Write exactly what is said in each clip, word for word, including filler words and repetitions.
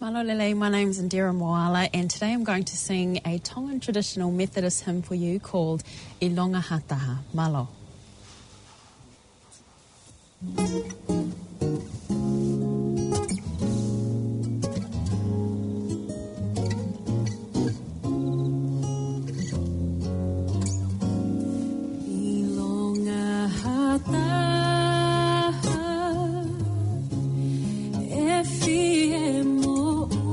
Mālō e lelei, my name's Indira Moala, and today I'm going to sing a Tongan traditional Methodist hymn for you called ʻIlonga ha Taha. Mālō. ʻIlonga ha taha ʻe fie moʻui,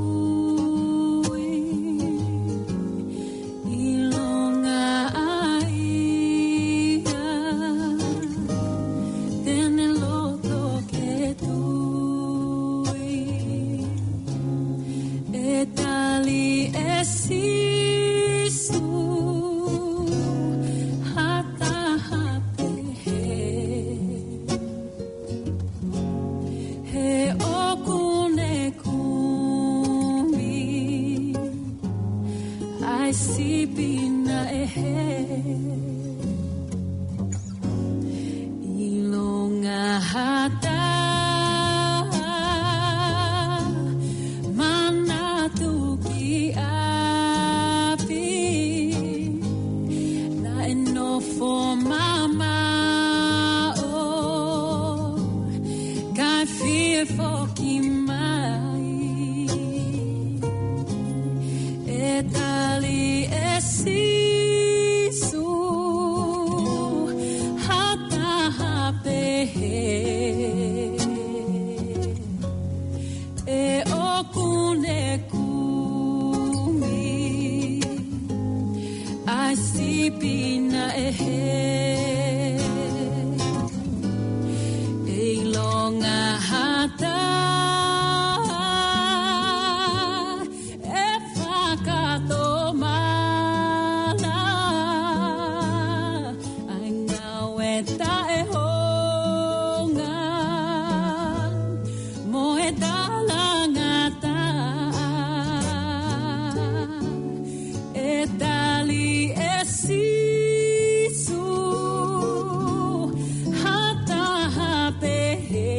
ʻilonga ʻa ia te ne loto ke tui. ʻE tali ʻe Sīsū ha taha pehē, he ʻoku ne kumi ʻa e sipi naʻe hē. ʻIlonga ha taha manatu ki ʻapi, naʻe nofo mamaʻo, kae fie foki mai. ʻE tali ʻe Sīsū ha taha pehē, he ʻoku ne kumi ʻa e sipi naʻe hē. ʻIlonga ha taha ʻe fakatomala ʻa e ngāue taʻehounga mo e talangataʻa. ʻE tali ʻe Sīsū ha taha pehē,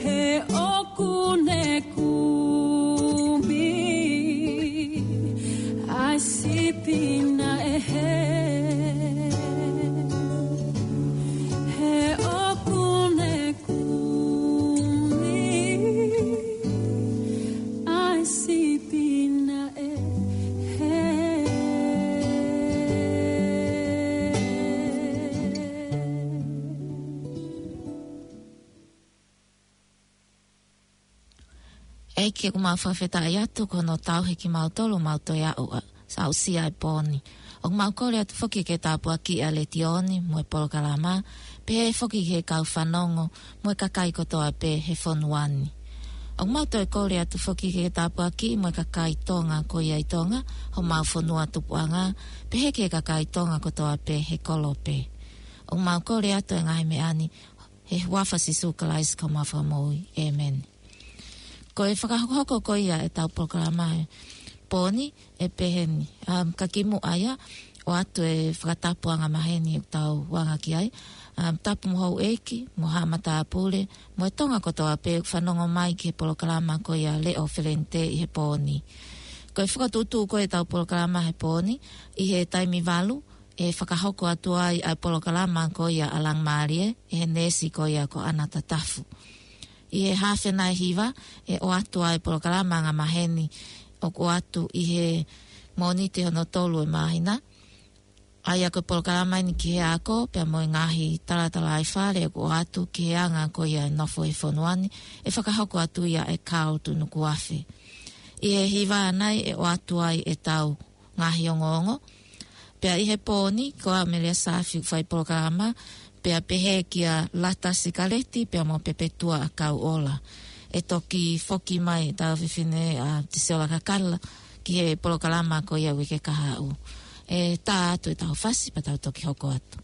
he ʻoku ne kumi ʻa e sipi naʻe hē. He ʻoku ne kumi ʻa e sipi naʻe hē. ʻEiki, ʻoku mau fakafetaʻi atu ko hono tauhi kimautolu ʻo mau toe aʻu ʻo aʻusia e pō ni. ʻOku mau kole atu foki ke tāpuakiʻi ʻa e letiō ni mo e polokalama, pehē foki ki he kau fanongo mo e kakai kotoa pē he fonua ni. ʻOku mau toe kole atu foki ke tāpuakiʻi mo e kakai Tonga ko ia ʻi Tonga, homau fonua tupuʻanga, pehē ki he kakai Tonga kotoa pē he kolo pē. ʻOku mau kole atu e ngaahi meʻa ni he huafa ʻo Sīsū Kalaisi ko homau Fakamoʻui. ʻĒmeni. Ko e fakahokohoko ko ia ʻetau polokalama he pō ni ʻe pehē ni. Um, ka kimuʻa ia, ʻoatu e fakatapu angamaheni ʻoku tau anga ki ai. Um, tapu mo houʻeiki, mo haʻa matāpule, mo e Tonga kotoa pē ʻoku fanongo mai ki he polokalama ko ia Leʻo Felenite ʻi he pō ni. Ko e fakatuʻutuʻu ko ē ʻetau polokalama he pō ni, ʻi he taimi valu, ʻe fakahoko atu ai ʻa e polokalama ko ia ʻa Langmālie, ʻe he neesi ko ia ko ʻAna Tatafu. ʻI he haafe nai hiva, ʻe ʻoatu ai e polokalama angamaheni ʻoku ʻoatu ʻi he Mōnite hono tolu ʻo e māhina. ʻA ia ko e polokalama eni ki he ako, pea mo e ngaahi talatalaifale ʻoku ʻoatu ki he anga ko ia e nofo he fonua ni, ʻe fakahoko atu ia ʻe Carl Tunukuafe. ʻI he hiva nai ʻe ʻoatu ai ʻetau ngaahi ongoongo. Pea ʻi he pō ni, ko au Melia Saafi ʻoku fai polokalama, pea pehē kia Lata Sikaleti, pea mo Pepetua ʻAkauʻola. ʻE toki foki mai ʻetau fefine ʻa Tisiola Kakala ki he polokalama ko ia uike kahaʻu. ʻE tā atu ʻetau fasi, pea tau toki hoko atu.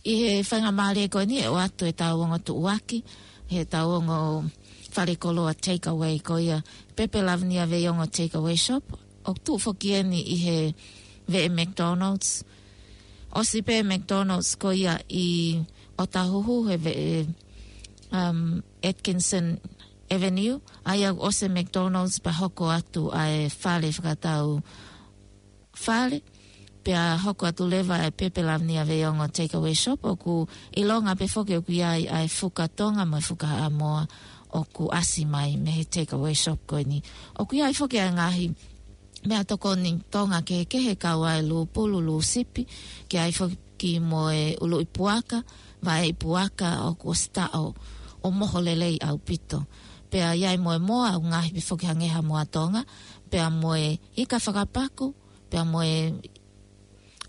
ʻI he faingamālie ko eni ʻe ʻoatu ʻetau ongo tuʻuaki, heʻetau ongo fale koloa takeaway ko ia Pepe Lavinia Veiongo Takeaway Shop. ʻOku tuʻu foki eni ʻi he veʻe McDonald's. ʻOsi pē McDonald's ko ia ʻi ʻOtahuhu he veʻe, um, Atkinson Avenue. ʻA ia ʻoku ʻosi McDonald's pea hoko atu ʻa e fale fakatau fale. Pea hoko atu leva ʻa e Pepe Lavinia Veiongo Takeaway Shop ʻoku ʻilonga pē foki ʻoku ʻi ai ʻa e fuka Tonga mo e fuka Haʻamoa ʻoku ʻasi mai mei he takeaway shop ko eni. ʻOku ʻi ai foki ʻa e ngaahi meʻatokoni Tonga kehekehe kau ai e lūpulu, lūsipi, ʻoku ʻi ai foki mo e ʻuluʻi puaka, vaʻe puaka ʻoku ʻosi taʻo ʻo moho lelei ʻaupito. Pea ʻi ai mo e moa ʻoku ngaohi pē foki hangē ha moa Tonga, pea mo e ika fakapaku, pea mo e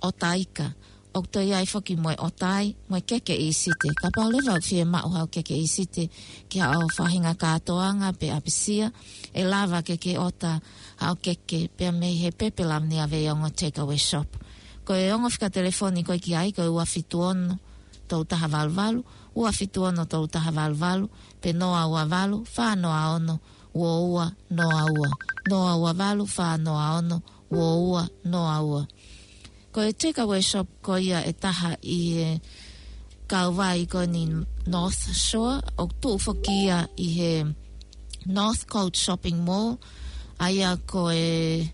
ʻota ika. ʻOku toe ʻi ai foki mo e ʻota ai, mo e keke ʻīsite. Kapau leva ʻoku fiemaʻu haʻo keke ʻīsite ki haʻo faʻahinga kātoanga pe ʻapisia, ʻe lava ke ke ʻota haʻo keke pea mei he Pepe Lavinia Veiongo Takeaway Shop. Ko e ongo fika telefoni ko ē ki ai, ko e ua fitu ono tolu taha valu valu, ua fitu ono tolu taha valu valu, pe noa ua valu, fā noa ono, ua ua noa ua, noa ua valu, fā noa ono, ua ua noa ua. Ko e takeaway shop ko ia ʻe taha ʻi he kauvai ko eni North Shore, ʻoku tuʻu foki ia ʻi he Northcote Shopping Mall, ʻa ia ko e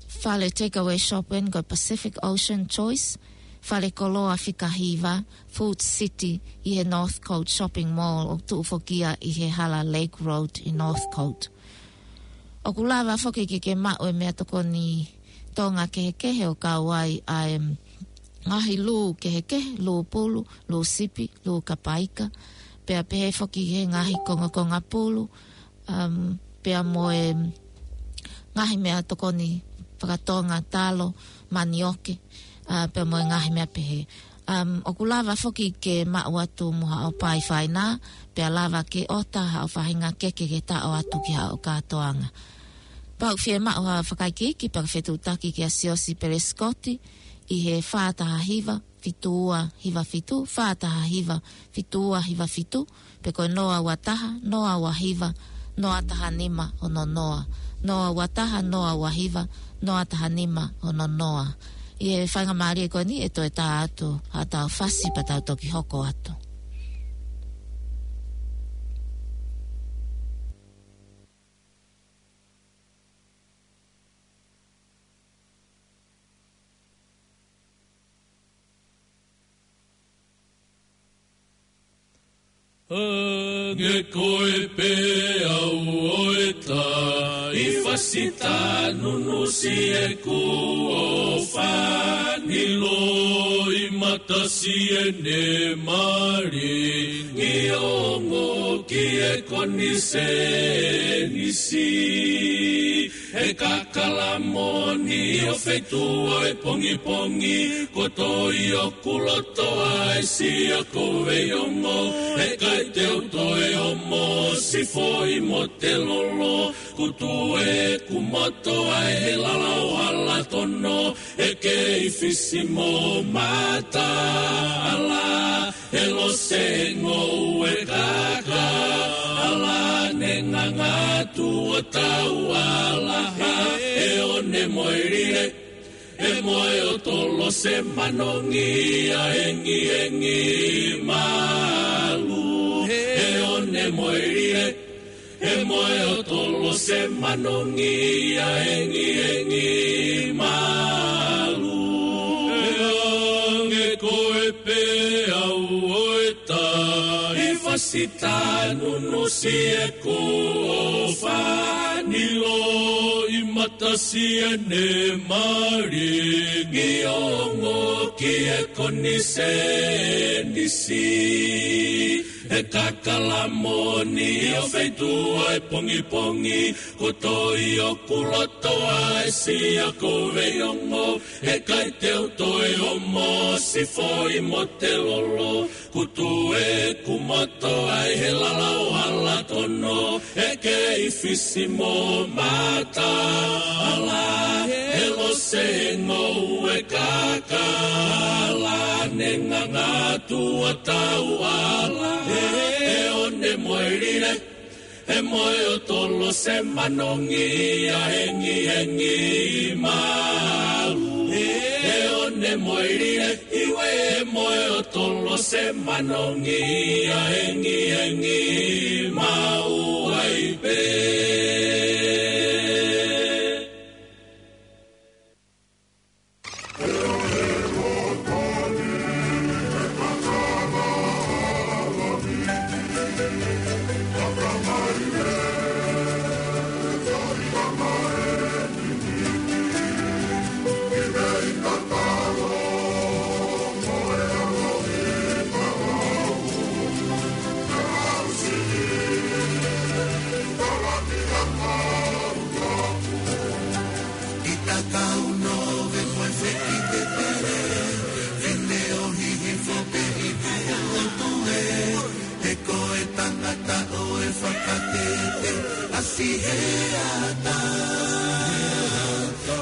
fale takeaway shop eni ko e Pacific Ocean Choice, fale koloa fika hiva, Food City, ʻi he Northcote Shopping Mall, ʻoku tuʻu foki ia ʻi he hala Lake Road ʻi Northcote. ʻOku lava foki ke ke maʻu e meʻatokoni Tonga kehekehe ʻo kau ai ʻa e ngaahi lū kehekehe, lūpulu, lūsipi, lū kapa ika, pea pehē foki he ngaahi kongakonga pulu, um, pea mo e ngaahi meʻatokoni fakatonga, talo, manioke, uh, pea mo e ngaahi meʻa pehē. Um, ʻoku lava foki ke maʻu atu mo haʻo pae faina, pea lava ke ʻota haʻo faʻahinga keke ke taʻo atu ki haʻo kātoanga. Pea ʻoku fiemaʻu ha fakaikiiki pea ke fetuʻutaki kia Siosi Pelesikoti ʻi he fā taha hiva, fitu ua hiva fitu, fā taha hiva, fitu ua hiva fitu, pe ko e noa ua taha, noa ua hiva, noa taha nima ono noa, noa ua taha, noa ua hiva, noa taha nima ono noa. ʻI he faingamālie ko eni ʻe toe tā atu haʻatau fasi pea tau toki hoko atu. Hangē ko e peau ʻo e tai, fasi tā nunusi ʻeku ʻofa, ni loʻimata siʻene malingi, ongo ki he konisēnisi. He kakala moʻoni ʻo feituʻu ʻo e pongipongi, ko e toi ʻoku loto ai sia ko Veiongo. He ʻikai te u toe ʻomo si foʻi mo te lolo, kutu ʻeku moto ai he lala ʻo Halatono, he kei fisi mo mata ala. He lose ngoue kaka, ala ne ngangatu ʻo tau ala ha. He ʻone mo e lile, he moe ʻo tolo se manongi ʻa engiengi malu. He ʻone mo e lile, he moe ʻo tolo se manongi ʻa engiengi malu. He hangē ko e peau ʻo e tai, fasi tā nunusi ʻeku ʻofa, ni loʻimata siʻene malingi, ongo ki he konisēnisi. He kakala moʻoni ʻo feituʻu ʻo e pongipongi, ko e toi ʻoku loto ai sia ko Veiongo. He ʻikai te u toe ʻomo si foʻi mo te lolo, kutu ʻeku moto ai he lala ʻo Halatono, he kei fisi mo mata ala. He lose ngoue kaka, ala Nganga atu ʻa tau ala, ʻe, ʻe ʻone moe lile, ʻe moe ʻo tolo se manongi ʻa hengi hengi mau. ʻE, ʻe ʻone moe lile, ʻiwe ʻe moe ʻo tolo se manongi ʻa hengi hengi mau ai pē. He ko e tangata ʻo e fakatete, ʻasi he ata,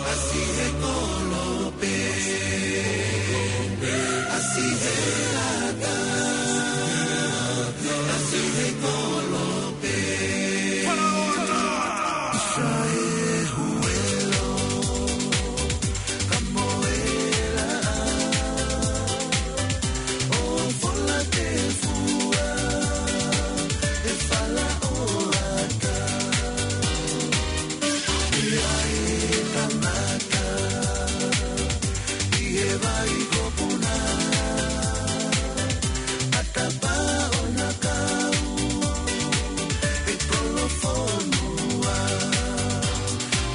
ʻasi he kolope, ʻasi he ata, ʻasi he kolope. Sai huelo, kamoela, ʻo fola te fua, ʻe fala ʻo ata. ʻI ai e kamata, ʻi he vai ko Puna, ʻa tapa ʻona kau, ʻe kolofonua.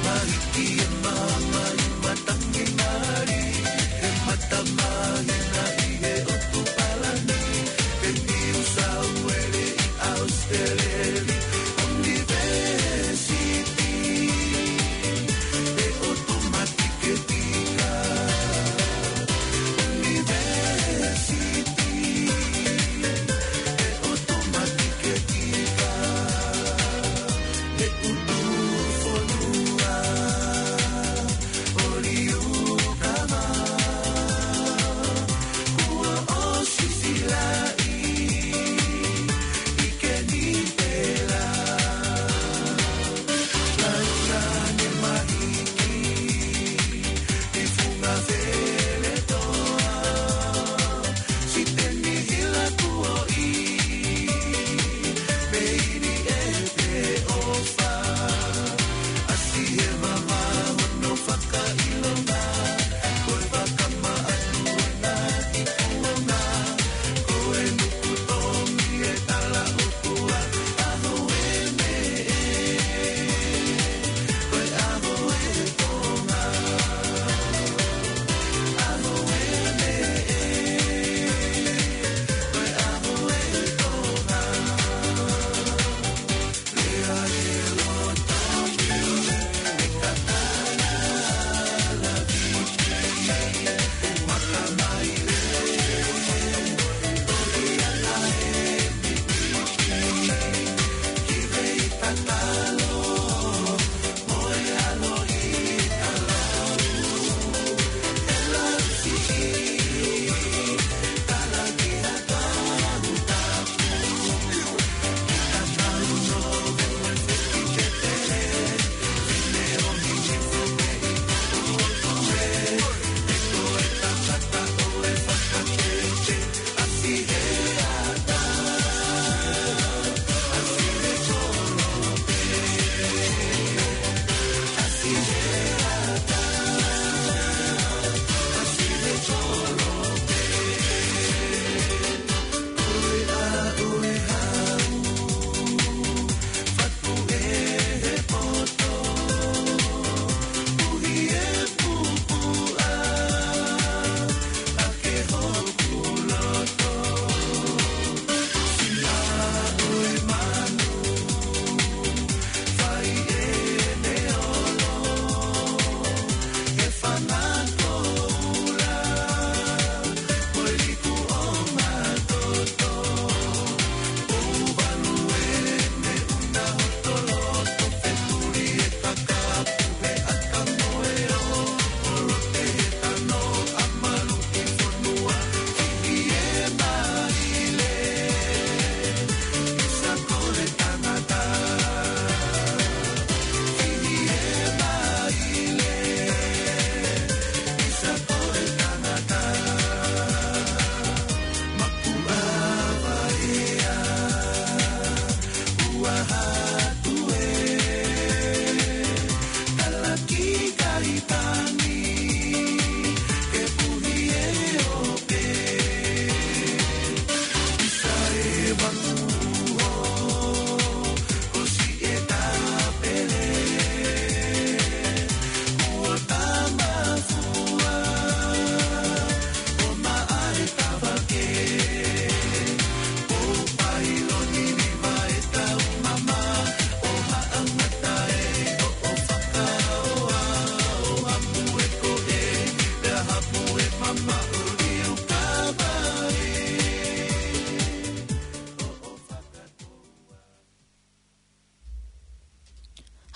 Mahiki e mama ʻi matangi mali, ʻe mata mahina ʻi he ʻotu palani, ʻe Niu Sauele ʻi ʻAositeleli, ʻunivesiti, ʻe ʻotu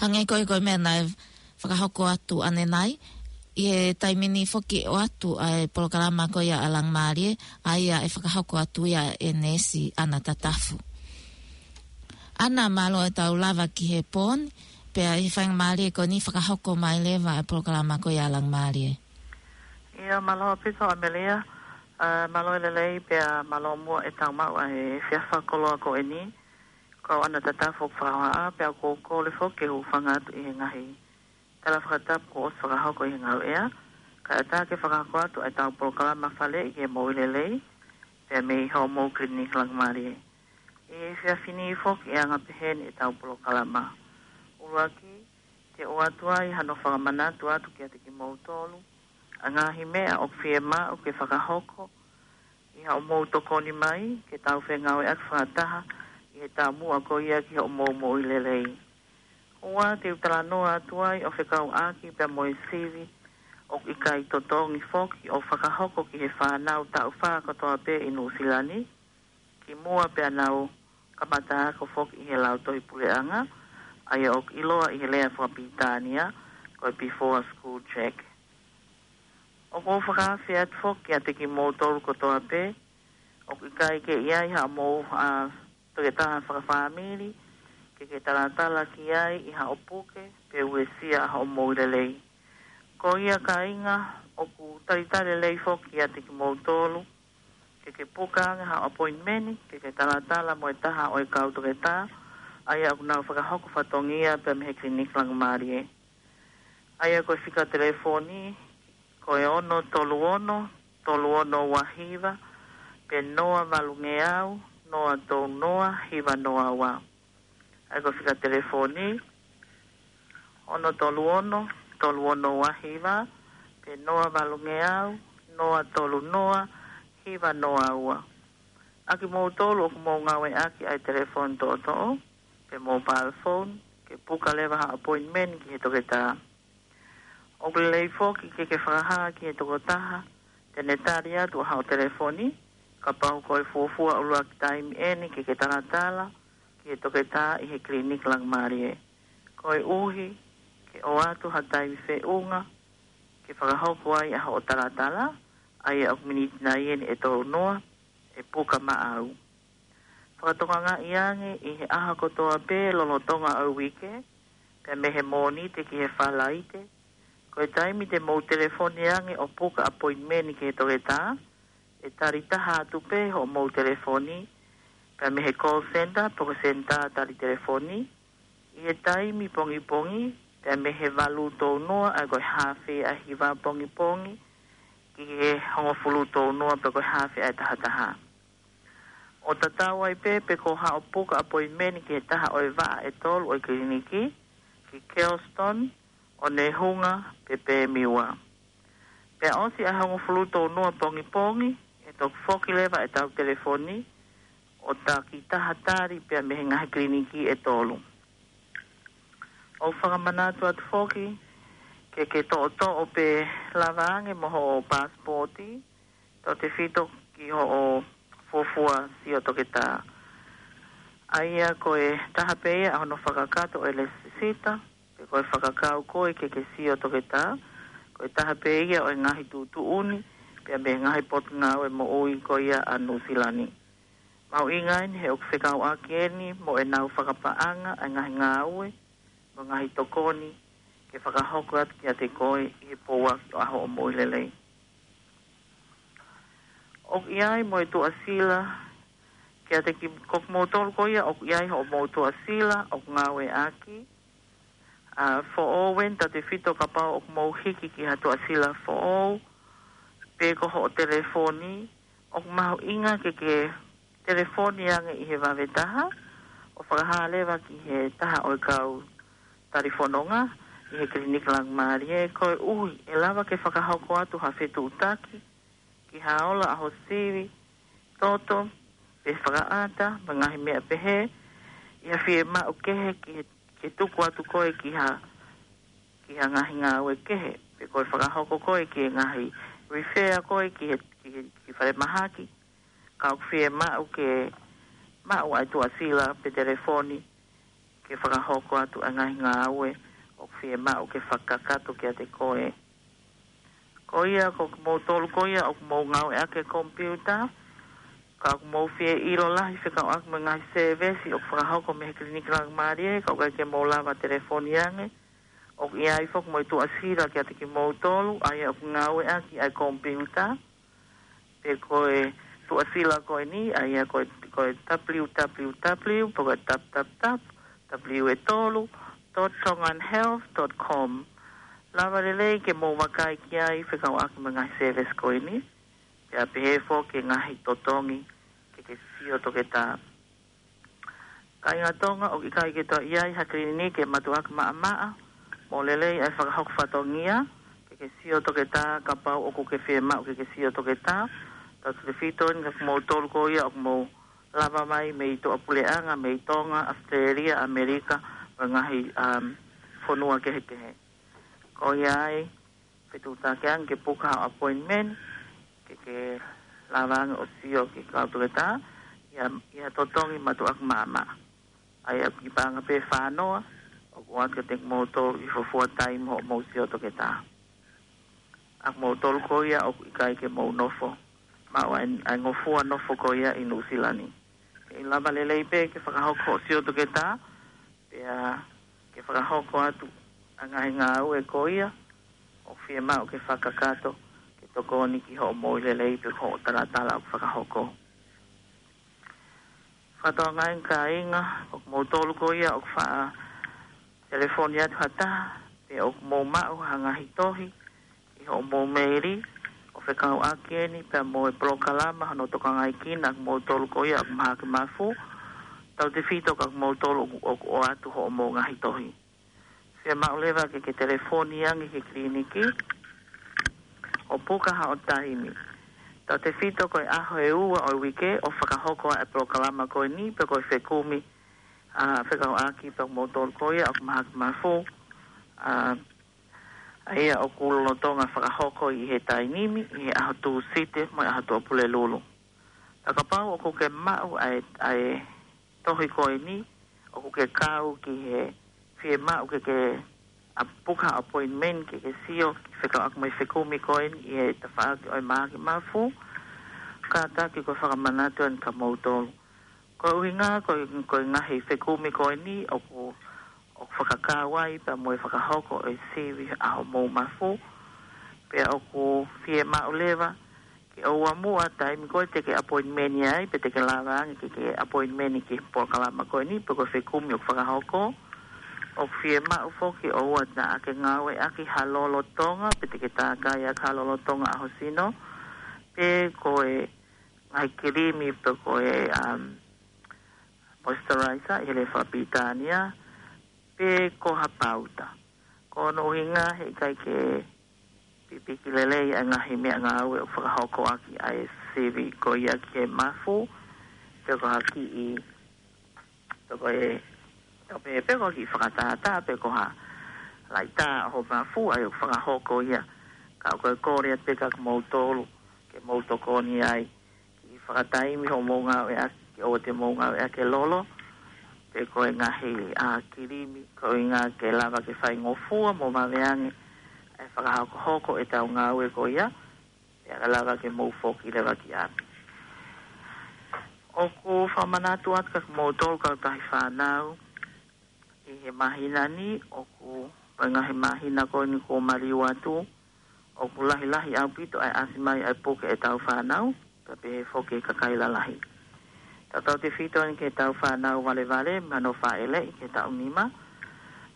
Hangē ko e, ko e meʻa naʻe fakahoko atu ʻanenai, ʻi he taimi ni foki ʻoatu ʻa e polokalama ko ia ʻa Langimālie, ʻa ia ʻe fakahoko atu ia ʻe Neesi ʻAna Tatafu. ʻAna, mālō e tau lava ki he pō ni, pea ʻi he faingamālie ko eni fakahoko mai leva ʻa e polokalama ko ia ʻa Langimālie. ʻIa, mālō ʻaupito ʻAmelea, ʻa, mālō e lelei pea mālō muʻa e tau maʻu ʻa e efiafi koloa ko eni. Ko au ʻAna Tatafu ʻoku fakahohaʻa, pea ʻoku ou kole foki ke u hūfanga atu ʻi he ngaahi tala fakatapu kuo ʻosi fakahoko ʻi he Ngāue ʻea, kae ʻatā ke fakahoko atu ʻa e tau polokalama faleʻi ki he moʻui lelei, pea mei hoʻomou Kiliniki Langimālie. ʻI he efiafi ni foki ʻe anga pehē ni e tau polokalama. ʻUluaki, te u ʻoatu ai hano fakamanatu atu kiate kimoutolu ʻa e ngaahi meʻa ʻoku fiemaʻu ke fakahoko ʻi haʻamou tokoni mai ke tau fengāueʻaki fakataha ʻi he taumuʻa ko ia ki hoʻomou moʻui lelei. Ua, te u talanoa atu ai ʻo fekauʻaki pea mo e sivi ʻoku ʻikai totongi foki ʻo fakahoko ki he fānau taʻu fā kotoa pē ʻi Nuʻusila ni, kimuʻa pea nau kamata ako foki ʻi he Lautohi Puleʻanga, ʻa ia ʻoku ʻiloa ʻi he lea fakapilitānia ko e before school check. ʻOku ou fakaafe atu foki kiate kimoutolu kotoa pē ʻoku ʻikai ke ʻi ai haʻamou, ʻa, toketā fakafāmili ke ke talatala ki ai ʻi haʻo puke pe uesia hoʻo moʻui lelei. Ko ia kāinga, ʻoku talitali lelei foki kiate kimoutolu ke ke puka ange haʻo appointment ke ke talatala mo e taha ʻo e kau toketā, ʻa ia ʻoku nau fakahoko fatongia pea mei he Kiliniki Langimālie. ʻA ia ko e fika telefoni, ko e ono tolu ono, tolu ono ua hiva, pe noa valu ngeau, noa tolu noa, hiva noa ua. ʻA ia ko e fika telefoni, ono tolu ono, tolu ono ua hiva, pe noa valu ngeau, noa tolu noa, hiva noa ua. ʻA kimoutolu ʻoku mou ngāueʻaki ʻa e telefoni toʻotoʻo, pe mobile phone, ke puka leva ha appointment ki he toketā. ʻOku lelei foki ke ke fakahā ki he tokotaha te ne tali atu ʻa hoʻo telefoni, kapau ko e fuofua ʻuluaki taimi eni ke ke talatala ki he toketā ʻi he Kiliniki Langimālie. Koeʻuhi ke ʻoatu ha taimi feʻunga ke fakahoko ai ʻa hoʻo talatala, ʻa ia ʻoku miniti nai eni ʻe tolu noa, ʻe puka maʻau. Fakatokangaʻi ange ʻi he ʻaho kotoa pē lolotonga ʻo e uike, pea mei he Mōnite ki he Falaite, ko e taimi te mou telefoni ange ʻo puka appointment ki he toketā, ʻe tali taha atu pē hoʻomou telefoni, pea mei he call center, pe ko e senitā tali telefoni, ʻi he taimi pongipongi, pea mei he valu tolu noa, ʻa ia ko e haafe ʻa e hiva pongipongi, ki he hongofulu tolu noa, pe ko e haafe ʻa e taha taha. ʻO tatau ai pē pe ko haʻo puka appointment ki he taha ʻo e vaʻa ʻe tolu ʻo e kiliniki, ki Kelston, ʻOnehunga, pe Pemiwa. Pea ʻosi ʻa e hongofulu tolu noa pongipongi, ʻe toki foki leva e tau telefoni, ʻo taki taha tali pea mei he ngaahi kiliniki ʻe tolu. ʻOku fakamanatu atu foki, ke ke toʻotoʻo pe lava ange mo hoʻo pasipoti, tautefito ki hoʻo fuofua sio toketā. ʻA ia ko e taha pē ia ʻa hono fakakakato ʻo e lēsisita, pe ko e fakakau koe ke ke sio toketā, ko e taha pē ia ʻo e ngaahi tuʻutuʻuni, pea mei he ngaahi potungāue moʻui ko ia ʻa Nuʻusila ni. Mahuʻinga eni he ʻoku fekauʻaki eni mo ʻenau fakapaʻanga ʻa e ngaahi ngāue, mo e ngaahi tokoni, ke fakahoko atu kiate koe ʻi he pouaki ʻo hoʻo moʻui lelei. ʻOku ʻi ai mo e tuʻasila, kiate ki, ko kimoutolu ko ia ʻoku ʻi ai hoʻomou tuʻasila ʻoku ngāueʻaki, ʻa, foʻou eni tautefito kapau ʻoku mou hiki ki ha tuʻasila foʻou, pe ko hoʻo telefoni, ʻoku mahuʻinga ke ke telefoni ange ʻi he vave taha, ʻo fakahā leva ki he taha ʻo e kau talifononga, ʻi he kiliniki Langimālie, koeʻuhi ʻe lava ke fakahoko atu ha fetuʻutaki, ki ha ola ʻa ho sivi, toto, pe fakaʻata, mo e ngaahi meʻa pehē, ʻi ha fiemaʻu kehe ki he, ke tuku atu koe ki ha, ki ha ngaahi ngāue kehe, pe ko e fakahoko koe ki he ngaahi refer koe ki he, ki he, ki falemahaki, ka ʻoku fiemaʻu ke maʻu ʻa e tuʻasila pe telefoni, ke fakahoko atu ʻa e ngaahi ngāue ʻoku fiemaʻu ke fakakakato kiate koe. Ko ia ko kimoutolu ko ia ʻoku mou ngāueʻaki e komipiuta, ka ʻoku mou fie ʻilo lahi fekauʻaki mo e ngaahi sēvesi ʻoku fakahoko mei he Kiliniki Laumālie, ka ʻoku ʻikai ke mou lava telefoni ange, ʻoku ʻi ai foki mo e tuʻasila kiate kimoutolu ʻa ia ʻoku ngāueʻaki ʻa e komipiuta, pe ko e tuʻasila ko eni, ʻa ia ko e, ko e www, pe ko e tap tap tap, w e tolu, dot tongan health dot com. Lava lelei ke mou vakai ki ai fekauʻaki mo e ngaahi sēvesi ko eni, pea pehē foki e ngaahi totongi ke ke sio toketā. Kāinga Tonga, ʻoku ʻikai ke toe ʻi ai ha kiliniki ʻe matuʻuaki maʻamaʻa, mou lelei ʻa e fakahoko fatongia ke ke sio toketā, kapau ʻoku ke fiemaʻu ke ke sio toketā. Tautautefito eni kia kimoutolu ko ia ʻoku mou lava mai mei tuʻapuleʻanga, mei Tonga, ʻAositelēlia, ʻAmelika, mo e ngaahi, um, fonua kehekehe. Ko ia ai, fetuʻutaki ange ke puka haʻo appointment, ke ke lava ange ʻo sio ki he kau toketā ʻi ha, ʻi ha totongi matuʻuaki maʻamaʻa. ʻA ia ʻoku ʻi ai pē ʻa e paʻanga pē ʻe fā noa ʻoku ʻoatu kiate kimoutolu ʻi he fuofua taimi hoʻomou sio toketā. ʻA kimoutolu ko ia ʻoku ʻikai ke mou nofo, maʻu ʻa e, ʻa e ngofua nofo ko ia ʻi Nuʻusila ni, ʻe lava lelei pē ke fakahoko hoʻo sio toketā, pea ke fakahoko atu ʻa e ngaahi ngāue ko ia ʻoku fiemaʻu ke fakakakato, ke tokoni ki hoʻo moʻui lelei pe ko hoʻo talatala ʻoku fakahoko. Fakatokangaʻi kāinga, ko kimoutolu ko ia ʻoku faʻa telefoni atu ha taha, pe ʻoku mou maʻu ha ngaahi tohi ʻi hoʻomou meili, ʻo fekauʻaki eni pea mo e polokalama hono tokangaekina ʻa kimoutolu ko ia ʻoku mahaki mafu, tautautefito kia kimoutolu ʻoku, ʻoku ʻoatu hoʻomou ngaahi tohi. Fiemaʻu leva ke ke telefoni ange ki he kiliniki ʻo puka haʻo taimi. Tautautefito ko e ʻaho ʻe ua ʻo e uike ʻoku fakahoko ai e polokalama ko eni, pe ko e fekumi, ʻa, fekauʻaki pea mo kimoutolu ko ia ʻoku mahaki mafu, ʻa, ʻa ia ʻoku lolotonga fakahoko ʻi he taimi ni, ʻi he ʻaho Tūsite mo e ʻaho Tuʻapulelulu. Ka kapau ʻoku ke maʻu ʻa e, ʻa e tohi ko eni, ʻoku ke kau ki he fiemaʻu ke ke ʻa, puka appointment ke ke sio, fekauʻaki mo e fekumi ko eni ʻi he tafaʻaki ʻo e mahaki mafu, kātaki ko e fakamanatu eni kia moutolu. Ko e ʻuhinga, ko e, ko e ngaahi fekumi ko eni ʻoku, ʻoku fakakau ai pea mo e fakahoko ʻo e sivi ʻa hoʻomou mafu, pea ʻoku fiemaʻu leva ke ʻoua muʻa taimi ko ē te ke appointment ai, pe te ke lava ange ke ke appointment ki he polokalama ko eni, pe ko e fekumi ʻoku fakahoko, ʻoku fiemaʻu foki ke ʻoua naʻa ke ngāueʻaki ha lolotonga, pe te ke tākai ʻaki ha lolotonga ʻaho sino, pe ko e ngaahi kilimi, pe ko e, um, moisturizer ʻi he lea fakapilitānia, pe ko ha pauta. Ko hono ʻuhinga he ʻikai ke pipiki lelei ʻa e ngaahi meʻangāue ʻoku fakahoko ʻaki ʻa e sivi ko ia ki he mafu, pe ko ha kiʻi, pe ko e, pe, pe ko ha kiʻi fakatātā, pe ko ha laʻitā ʻo e mafu ʻa ia ʻoku fakahoko ia. Ka ko e kole atu pē kia kimoutolu ke mou tokoni ai ki he fakataimi hoʻomou ngāueʻaki, ke ʻoua te mou ngāueʻaki e lolo, pe ko e ngaahi, ʻa, kilimi, ko e ʻuhinga ke lava ke faingofua mo vave ange ʻa e fakahokohoko ʻetau ngāue ko ia, pea ka lava ke mou foki leva ki ʻapi. ʻOku fakamanatu atu kia kimoutolu kautahi fānau, ʻi he māhina ni, ʻoku, ko e ngaahi māhina ko eni kuo maliu atu, ʻoku lahilahi ʻaupito ʻa e ʻasi mai ʻa e puke ʻetau fānau, pea pehē foki e kakai lalahi. Tautautefito eni ki heʻetau fānau valevale, mei hono fāʻeleʻi ki he taʻu nima,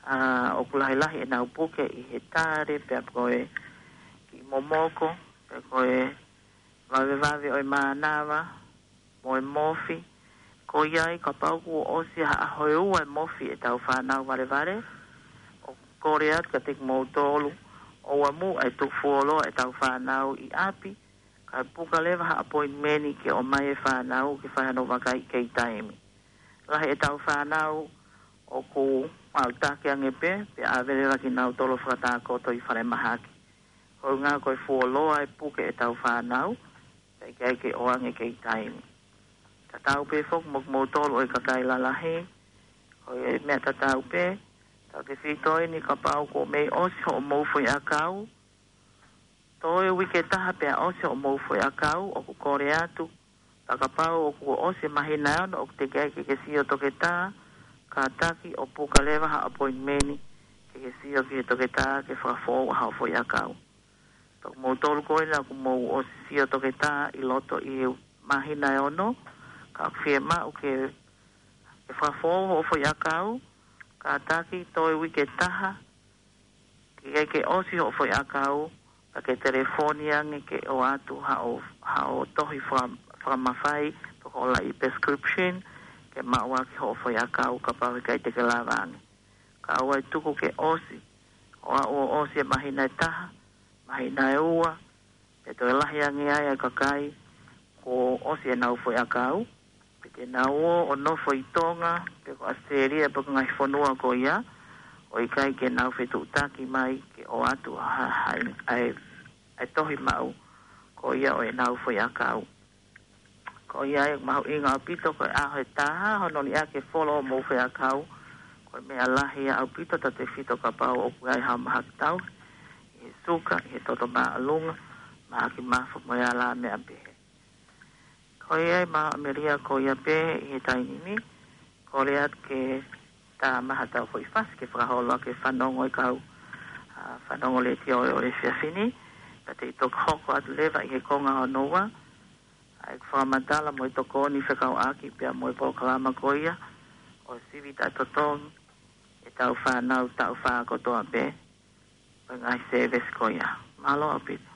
ʻa, ʻoku lahilahi ʻenau puke ʻi he tale, pea ko e kiʻi momoko, pe ko e vavevave ʻo e mānava, mo e mofi. Ko ia ai kapau kuo ʻosi ha ʻaho ʻe ua e mofi ʻetau fānau valevale, ʻoku kole atu kiate kimoutolu, ʻoua muʻa ʻe tuku fuoloa ʻetau fānau ʻi ʻapi, kae puka leva ha appointment ke ʻomai e fānau ke fai hano vakai kei taimi. Lahi ʻetau fānau ʻoku maʻutaki ange pē, pea ʻave leva kinautolu ʻo fakatākoto ʻi falemahaki. Ko e ʻuhinga ko e fuoloa e puke ʻetau fānau, pea ʻikai ke ʻoange kei taimi. Tatau pē foki mo kimoutolu ʻo e kakai lalahi, Ko e meʻa tatau pē, tau tefito eni kapau kuo mei ʻosi hoʻomou foʻi ʻakau. Toe uike ʻe taha pea ʻosi hoʻomou foʻi ʻakau, ʻoku kole atu. Pea kapau ʻoku ʻosi e māhina ʻe ono ʻoku teʻeki ai ke ke sio toketā, kātaki ʻo puka leva ha appointment ke ke sio ki he toketā ke fakafoʻou ʻa hoʻo foʻi ʻakau. Pea ko moutolu ko ena ʻoku mou ʻosi sio toketā ʻi loto ʻi he māhina ʻe ono, ka ʻoku fiemaʻu ke, ke fakafoʻou hoʻo foʻi ʻakau, kātaki toe uike ʻe taha, ke ʻai ke ʻosi hoʻo foʻi ʻakau, pea ke telefoni ange ke ʻoatu haʻo, haʻo tohi faka-, fakamafai, pe ko e laʻi prescription, ke maʻu ʻaki hoʻo foʻi ʻakau kapau heʻikai te ke lava ange. Kae ʻoua ʻe tuku ke ʻosi, ʻo aʻu ʻo ʻosi e māhina ʻe taha, māhina ʻe ua, pea toe lahi ange ai ʻa e kakai kuo ʻosi ʻenau foʻi ʻakau, pea te nau ō ʻo nofo ʻi Tonga, pe ko ʻAositelēlia, pe ko e ngaahi fonua ko ia, ʻo ʻikai ke nau fetuʻutaki mai ke ʻoatu ha, ha, ʻa e, ʻa e tohi maʻu ko ia ʻo ʻenau foʻi ʻakau. Ko ia ʻoku mahuʻinga ʻaupito ko e ʻaho ʻe taha, hono liʻaki e folo hoʻomou foʻi ʻakau, ko e meʻa lahi ia ʻaupito, tau tefito kapau ʻoku ʻi ai haʻo mahaki tauhi, ʻi he suka, ʻi he toto māʻolunga, mahaki mafu mo e alā meʻa pehē. Ko ia ʻi māʻa melia ko ia pē ʻi he taimi ni, kole atu ke tā mai haʻatau foʻi fasi ke fakaholo ʻaki e fanongo ʻa e kau, ʻa, fanongo letiō ʻo e efiafi ni, pea te u toki hoko atu leva ʻi he konga hono ua, ʻa e fakamatala mo e tokoni fekauʻaki pea mo e polokalama ko ia ʻo e sivi taʻetotongi ʻetau fānau taʻu fā kotoa pē, ʻo e ngaahi sēvesi ko ia. Mālō ʻaupito.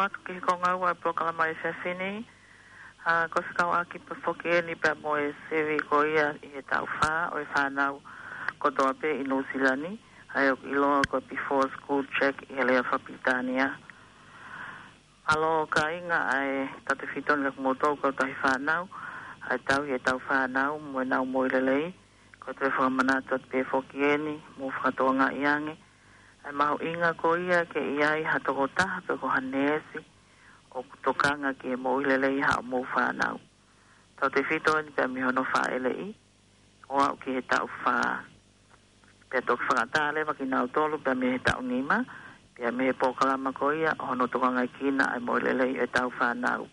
Atu ki he konga ua ʻo e polokalama ʻi he efiafi ni, ʻa, ko e fekauʻaki pē foki eni pea mo e sivi ko ia ʻi he taʻu fā ʻo e fānau kotoa pē ʻi Nuʻusila ni, ʻa ia ʻoku ʻiloa ko e before school check ʻi he lea fakapilitānia. Mālō kāinga, ʻa e tautefito eni kia kimoutolu kau tauhi fānau, ʻa e tauhi ʻetau fānau mo ʻenau moʻui lelei, ko e toe fakamanatu atu pē foki eni, mou fakatokangaʻi ange ʻa e mahuʻinga ko ia ke ʻi ai ha tokotaha pe ko ha neesi ʻoku tokanga ki he moʻui lelei ʻa hoʻomou fānau. Tautefito eni pea mei hono fāʻeleʻi ʻo aʻu ki he taʻu fā. Pea toki fakaʻatā leva kinautolu pea mei he taʻu nima, pea mei he polokalama ko ia ʻo hono tokangaʻi ʻa e moʻui lelei ʻetau fānau.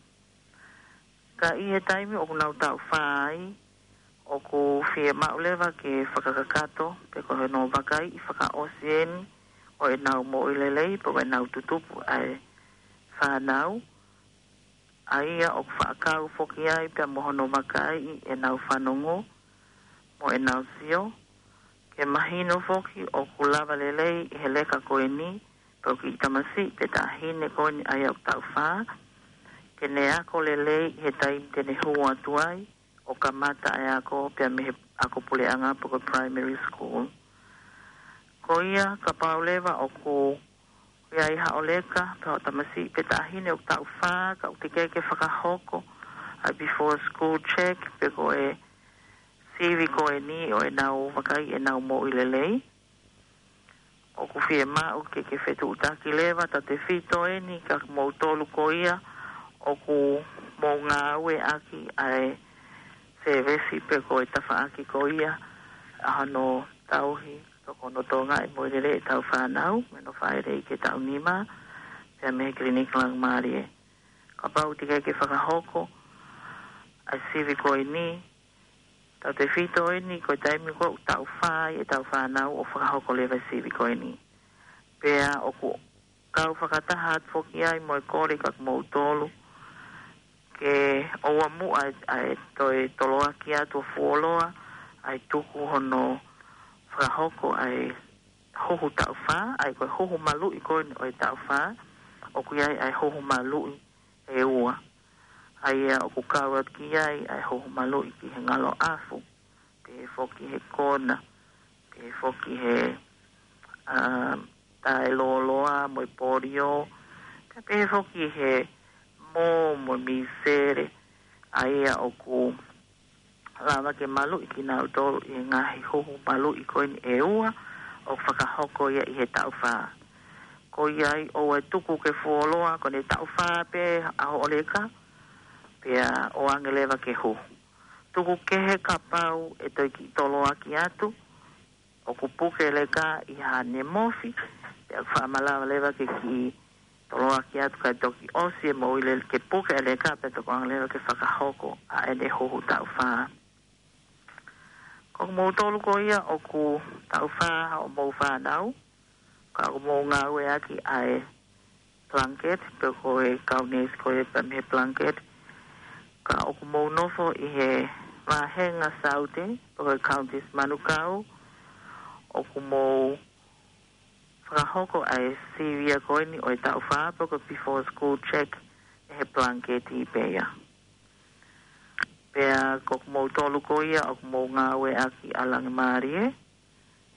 Ka ʻi he taimi ʻoku nau taʻu fā ai, ʻoku fiemaʻu leva ke fakakakato pe ko hono vakaiʻi fakaʻosi eni ʻo ʻenau moʻui lelei pe ko ʻenau tutupu ʻa e fānau, ʻa ia ʻoku faʻa kau foki ai pea mo hono vakaiʻi ʻenau fanongo mo ʻenau sio, ke mahino foki ʻoku lava lelei ʻi he leka ko eni pe ko e kiʻi tamasiʻi pe taʻahine ko eni ʻa ia ʻoku taʻu fā, ke ne ako lelei ʻi he taimi te ne hū atu ai ʻo kamata ʻa e ako pea mei he ako puleʻanga pe ko e primary school. Ko ia kapau leva ʻoku ʻi ai haʻo leka pe haʻo tamasiʻi pe taʻahine ʻoku taʻu fā ka ʻoku teʻeki ke fakahoko ʻa e before school check pe ko e sivi ko eni ʻo ʻenau vakaiʻi ʻenau moʻui lelei, ʻoku fiemaʻu ke ke fetuʻutaki leva tautefito eni kia kimoutolu ko ia ʻoku mou ngāueʻaki ʻa e sēvesi pe ko e tafaʻaki ko ia ʻa hono tauhi pe ko hono tokangaʻi moʻui lelei ʻetau fānau mei hono fāʻeleʻi ki he taʻu nima pea mei he kiliniki laumālie. Kapau teʻeki ke fakahoko ʻa e sivi ko eni, tautefito eni ko e taimi ko ē ʻoku taʻu fā ai ʻetau fānau ʻo fakahoko leva e sivi ko eni. Pea ʻoku kau fakataha atu foki ai mo e kole kia kimoutolu ke ʻoua muʻa ʻa e toe toloaki atu ʻo fuoloa ʻa e tuku hono fakahoko ʻa e huhu taʻu fā, ʻa ia ko e huhu maluʻi ko eni ʻo e taʻu fā, ʻoku ʻi ai ʻa e huhu maluʻi ʻe ua. ʻA ia ʻoku kau atu ki ai ʻa e huhu maluʻi ki he ngalo ʻafu, pehē foki he kona, pehē foki he, ʻa, taʻelōloa mo e polio, pea pehē foki he mō mo e mīsele, ʻa ia ʻoku lava ke maluʻi kinautolu ʻi he ngaahi huhu maluʻi ko eni ʻe ua ʻoku fakahoko ia ʻi he taʻu fā. Ko ia ai ʻoua ʻe tuku ke fuoloa, ko ʻene taʻu fā pē ʻa hoʻo leka, pea ʻoange leva ke huhu. Tuku kehe kapau ʻe toe kiʻi toloaki atu, ʻoku puke e leka ʻi haʻane mofi, pea ʻoku faʻa malava leva ke kiʻi toloaki atu kae toki ʻosi e moʻui lelei ke puke e leka pea toki ʻoange leva ke fakahoko ʻa ʻene huhu taʻu fā. Ko kimoutolu ko ia ʻoku taʻu fā hoʻomou fānau, ka ʻoku mou ngāueʻaki ʻa e blanket, pe ko e kau neesi ko ia pea mei he blanket, ka ʻoku mou nofo ʻi he vāhenga Saute, pe ko e Counties Manukau, ʻoku mou fakahoko ʻa e sivi ia ko eni ʻo e taʻu fā pe ko e before school check ʻi he blanket pē ia. Pea ko kimoutolu ko ia ʻoku mou ngāueʻaki ʻa Langimālie,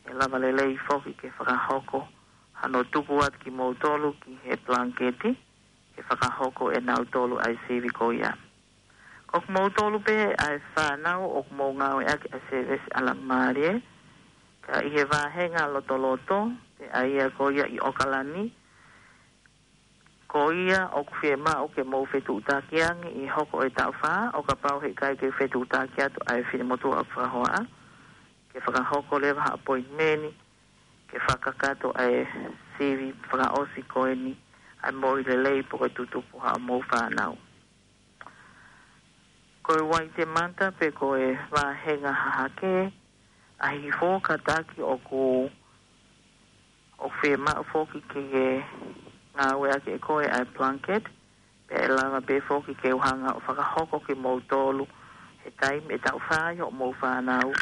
ʻe lava lelei foki ke fakahoko hano tuku atu kimoutolu ki he blanket ke fakahoko ʻe nautolu ʻa e sivi ko ia. Ko kimoutolu pē ʻa e fānau ʻoku mou ngāueʻaki ʻa e sēvesi ʻa Langimālie, ka ʻi he vāhenga lotoloto, pe ʻa ia ko ia ʻi ʻOkalani, ko ia ʻoku fiemaʻu ke mou fetuʻutaki ange ʻi he hoko ʻo e taʻu fā, ʻo kapau heʻikai ke fetuʻutaki atu ʻa e finemotuʻa ʻoku fakahoa, ke fakahoko leva ha appointment, ke fakakakato ʻa e sivi fakaʻosi ko eni ʻa e moʻui lelei pe ko e tutupu ʻa hoʻomou fānau. Ko e Waitemata pe ko e vāhenga hahake, ʻaho hifo kātaki ʻoku, ʻoku fiemaʻu foki ke ke ngāueʻaki ʻe koe ʻa e blanket, pea ʻe lava pē foki ke u hanga ʻo fakahoko kimoutolu he taimi ʻe taʻu fā ai hoʻomou fānau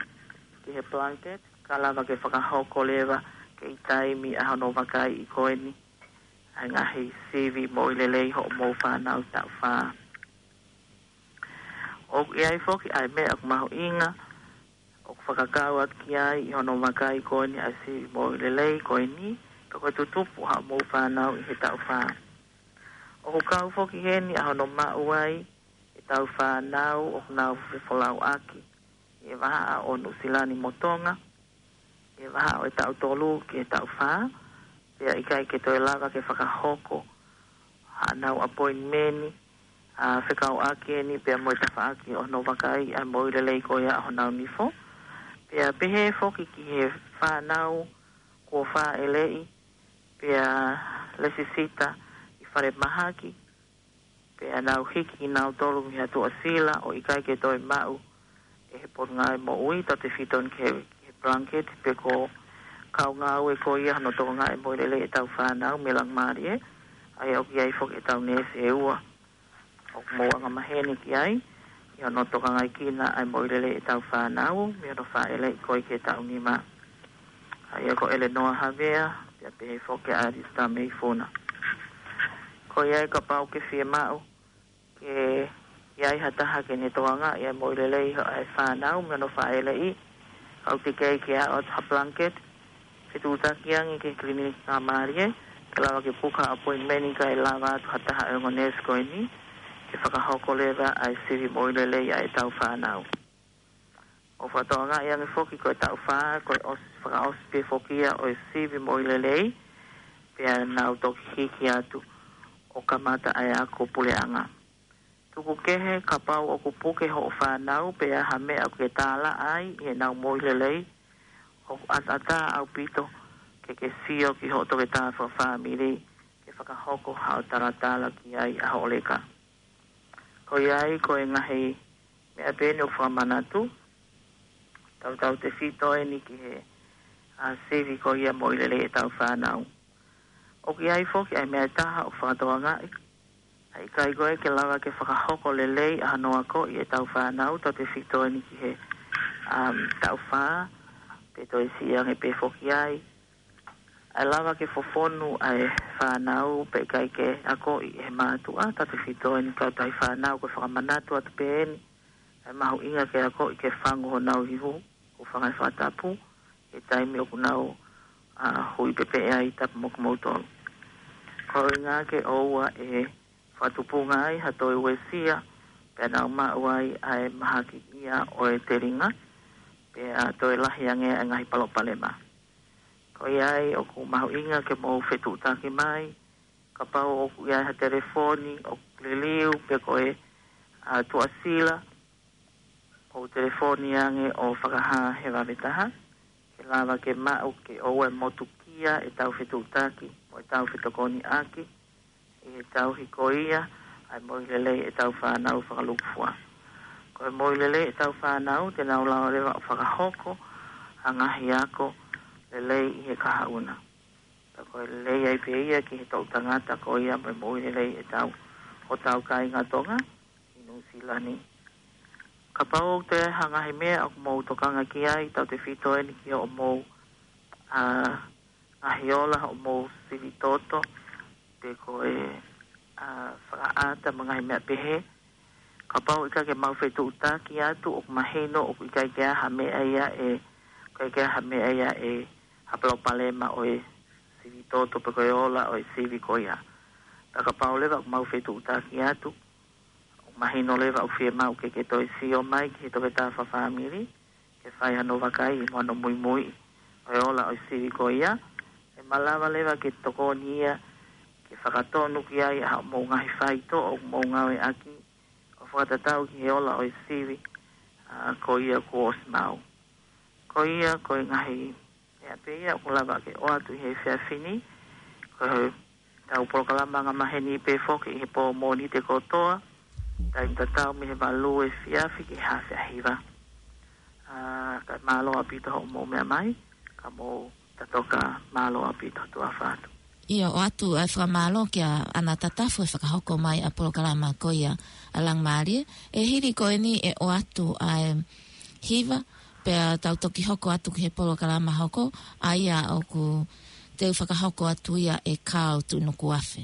ki he blanket, ka lava ke fakahoko leva kei taimi ʻa hono vakaiʻi ko eni ʻa e ngaahi sivi moʻui lelei hoʻomou fānau taʻu fā. ʻOku ʻi ai foki ʻa e meʻa ʻoku mahuʻinga ʻoku fakakau atu ki ai ʻi hono vakai ko eni ʻa e sivi moʻui lelei ko eni, pe ko e tutupu haʻamou fānau ʻi he taʻu fā. ʻOku kau foki heni ʻa hono maʻu ai ʻetau fānau ʻoku nau fefolauʻaki ʻi he vahaʻa ʻo Nuʻusila ni mo Tonga, ʻi he vahaʻa ʻo e taʻu tolu ki he taʻu fā, pea ʻikai ke toe lava ke fakahoko haʻanau appointment, ʻa fekauʻaki eni pea mo e tafaʻaki ʻo hono vakai ʻa e moʻui lelei ko ia ʻa honau nifo. Pea pehē foki ki he fānau kuo fāʻeleʻi, pea lesisita ʻi falemahaki, pea nau hiki kinautolu mei ha tuʻasila ʻo ʻikai ke toe maʻu ʻe he Potungāue Moʻui tautefito ki he, ki he blanket, pe ko e kau ngāue ko ia hono tokangaʻi e moʻui lelei ʻetau fānau mei Langamālie, ʻa ia ʻoku ʻi ai foki ʻetau neesi ʻe ua ʻoku mou angamaheni ki ai ʻi hono tokangaʻi kinautolu ʻa e moʻui lelei ʻetau fānau mei hono fāʻeleʻi ko ia ki he taʻu nima. ʻA ia ko Elenoa Havea, pea pehē foki ʻa Alisita Meifuna. Ko ia ai kapau ʻoku ke fiemaʻu ke ʻi ai ha taha ke ne tokangaʻi ʻa e moʻui lelei ʻa e fānau mei hono fāʻeleʻi, kau te kei ke aʻu atu ha blanket, fetuʻutaki ange ki he Kiliniki Langamālie, ke lava ke puka appointment kae lava atu ha taha ʻo e ongo neesi ko eni ke fakahoko leva ʻa e sivi moʻui lelei ʻa ʻetau fānau. ʻOku fakatokangaʻi ange foki ko e taʻu fā, ko e ʻosi, fakaʻosi pē foki ia ʻo e sivi moʻui lelei, pea nau toki hiki atu ʻo kamata ʻa e ako puleʻanga. Tuku kehe kapau ʻoku puke hoʻo fānau pe ʻi ai ha meʻa ʻoku ke tālaʻa ai ʻi heʻenau moʻui lelei, ʻoku ʻataʻatā ʻaupito ke ke sio ki hoʻo toketā fakafāmili ke fakahoko haʻo talatala ki ai ʻa hoʻo leka. Ko ia ai ko e ngaahi meʻa pē eni ʻoku fakamanatu, tautautefito eni ki he, ʻa, sivi ko ia moʻui lelei ʻetau fānau. ʻOku ʻi ai foki ʻa e meʻa ʻe taha ʻoku fakatokangaʻi, ʻa e ʻikai ko ē ke lava ke fakahoko lelei ʻa hono akoʻi ʻetau fānau, tautefito eni ki he, um, taʻu fā, pe toe siʻi ange pē foki ai. ʻA e lava ke fofonu ʻa e fānau pea ʻikai ke akoʻi ʻe he mātuʻa, tautefito eni kautahi fānau, ko e fakamanatu atu pē eni ʻa e mahuʻinga ke akoʻi ke fangu honau ihu, ʻo fanga ʻi he fakatapu, he taimi ʻoku nau, ʻa, hui pepeʻe ai, tapu mo kimoutolu. Ko e ʻuhinga ke ʻoua ʻe fakatupunga ai ha toe uesia, pea nau maʻu ai ʻa e mahaki ia ʻo e telinga, pea toe lahi ange ʻa e ngaahi palopalema. Ko ia ai ʻoku mahuʻinga ke mou fetuʻutaki mai, kapau ʻoku ʻi ai ha telefoni ʻoku liliu pe ko e, ʻa, tuʻasila, ʻo telefoni ange ʻo fakahā he vave taha, ke lava ke maʻu ke ʻoua ʻe motukia ʻetau fetuʻutaki mo ʻetau fetokoniʻaki ʻi he tauhi ko ia ʻa e moʻui lelei ʻetau fānau fakalūkufua. Ko e moʻui lelei ʻetau fānau te nau lava leva ʻo fakahoko ʻa e ngaahi ako lelei ʻi he kahaʻu na. Pea ko e lelei ai pē ia ki he toʻu tangata ko ia mo e moʻui lelei ʻetau, hotau kāinga Tonga ʻi Nuʻusila ni. Kapau ʻoku toe ʻi ai ha ngaahi meʻa ʻoku mou tokanga ki ai, tautefito eni ki hoʻomou, ʻa, ngaahi ola, hoʻomou sivi toto, pe ko e, ʻa, fakaʻata mo e ngaahi meʻa pehē. Kapau ʻikai ke mau fetuʻutaki atu, ʻoku mahino ʻoku ʻikai ke ʻi ai ha meʻa ia ʻe, ʻikai ke ʻi ai ha meʻa ia ʻe, ha palopalema ʻo e sivi toto pe ko e ola ʻo e sivi ko ia. Pea kapau leva ʻoku mau fetuʻutaki atu, ʻoku mahino leva ʻoku fiemaʻu ke ke toe sio mai ki he toketā fakafāmili, ke fai hano vakai mo hano muimui ʻo e ola ʻo e sivi ko ia, ʻe malava leva ke tokoni ia ke fakatonu ki ai ʻa hoʻomou ngaahi faitoʻo ʻoku mou ngāueʻaki, ʻo fakatatau ki he ola ʻo e sivi, ʻa, ko ia kuo ʻosi maʻu. Ko ia, ko e ngaahi meʻa pē ia ʻoku lava ke ʻoatu ʻi he efiafi ni, ko ʻetau polokalama angamaheni pē foki ʻi he pō Mōnite kotoa, taimi tatau mei he valu efiafi ki he haafe ʻahiva. ʻA, kae mālō ʻaupito hoʻomou meʻa mai, ka mou tatau ka mālō ʻaupito, tuʻa ʻofa atu. ʻIo, ʻoatu ʻa e fakamālō kia Ana Tatafu he fakahoko mai ʻa e polokalama ko ia ʻa Langamālie. ʻE hili ko eni ʻe ʻoatu ʻa e hiva, pea tau toki hoko atu ki he polokalama hoko, ʻa ia ʻoku te u fakahoko atu ia ʻe Kāo Tuʻinukuafe.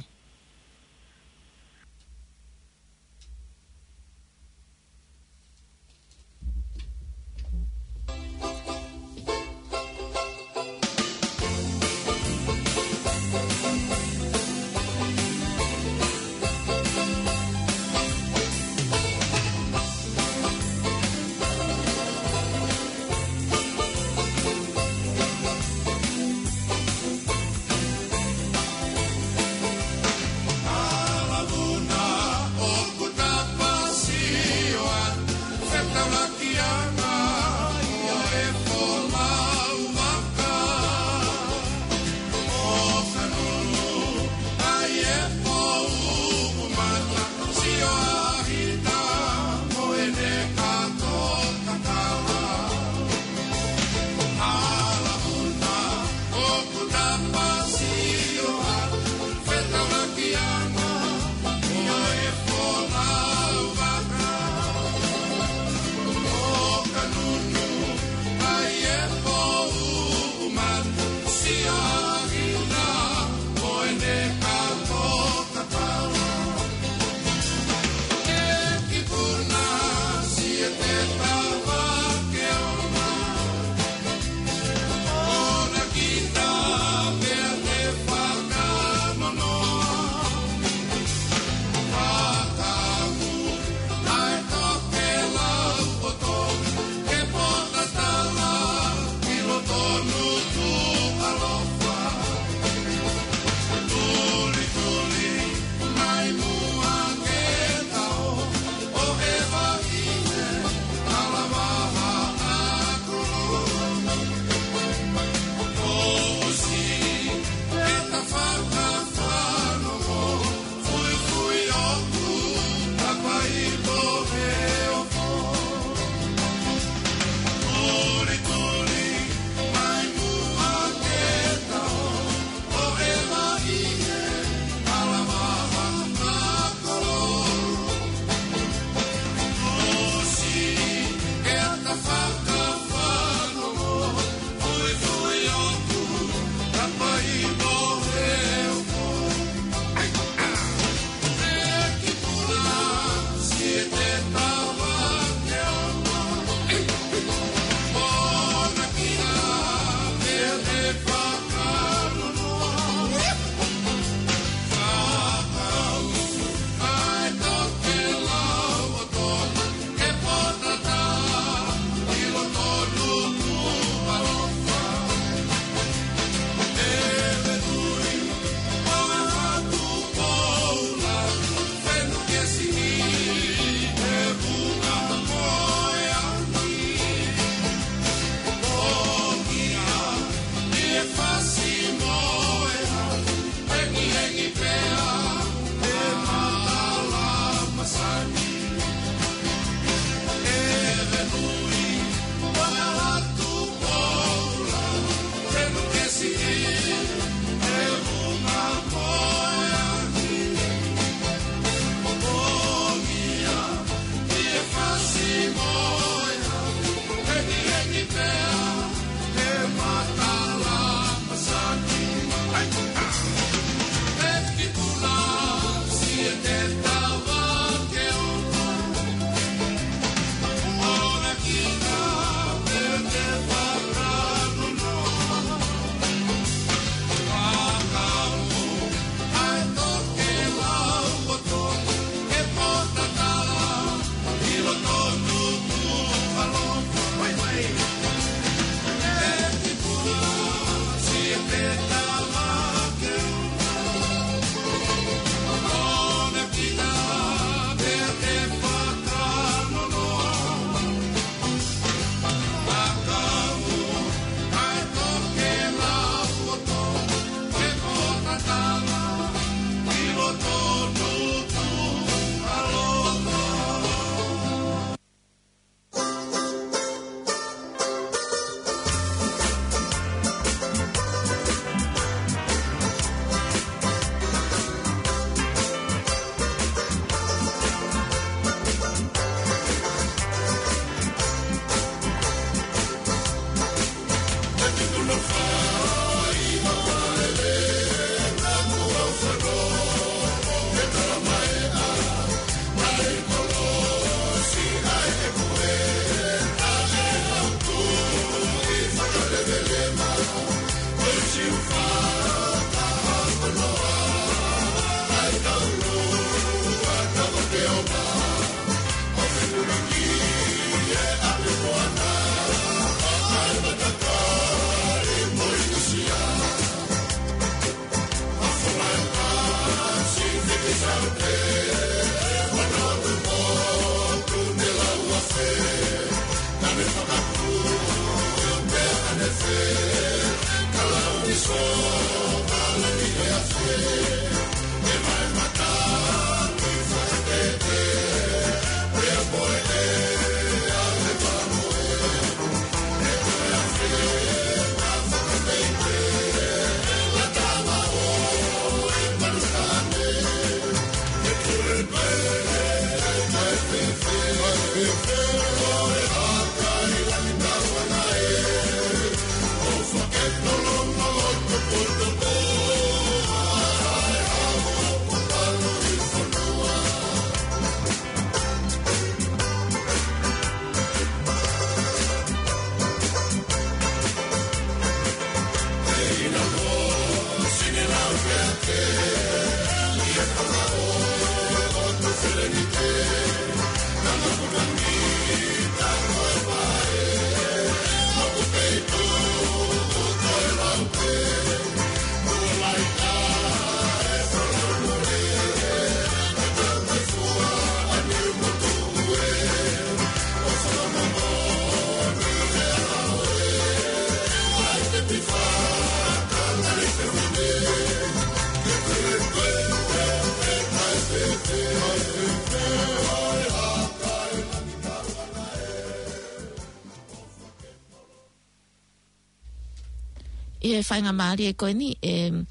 ʻI he faingamālie ko eni, ʻe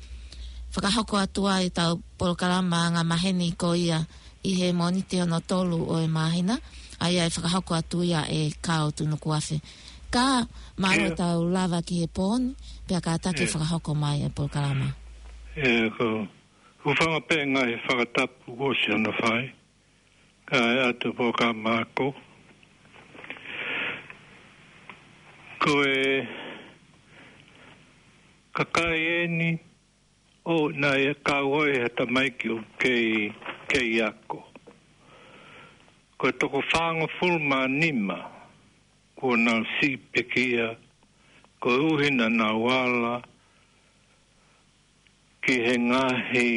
fakahoko atu ai ʻetau polokalama anga maheni ko ia ʻi he Mōnite hono tolu ʻo e māhina, ʻa ia ʻe fakahoko atu ia ʻe Kao Tunukuafe. Ka mālō ʻetau lava ki he pō ni, pea kātaki ʻe fakahoko mai e polokalama. ʻE, ko, hūfanga pē ngaahi fakatapu kuo ʻosi hono fai, kae ʻatu polokalama ako. Ko e kakai eni ʻo naʻe kau ai ha tamaiki ʻoku kei, kei ako. Ko e toko fāngofulu mā nima kuo nau siʻi pekia, koeʻuhi naʻa nau ala ki he ngaahi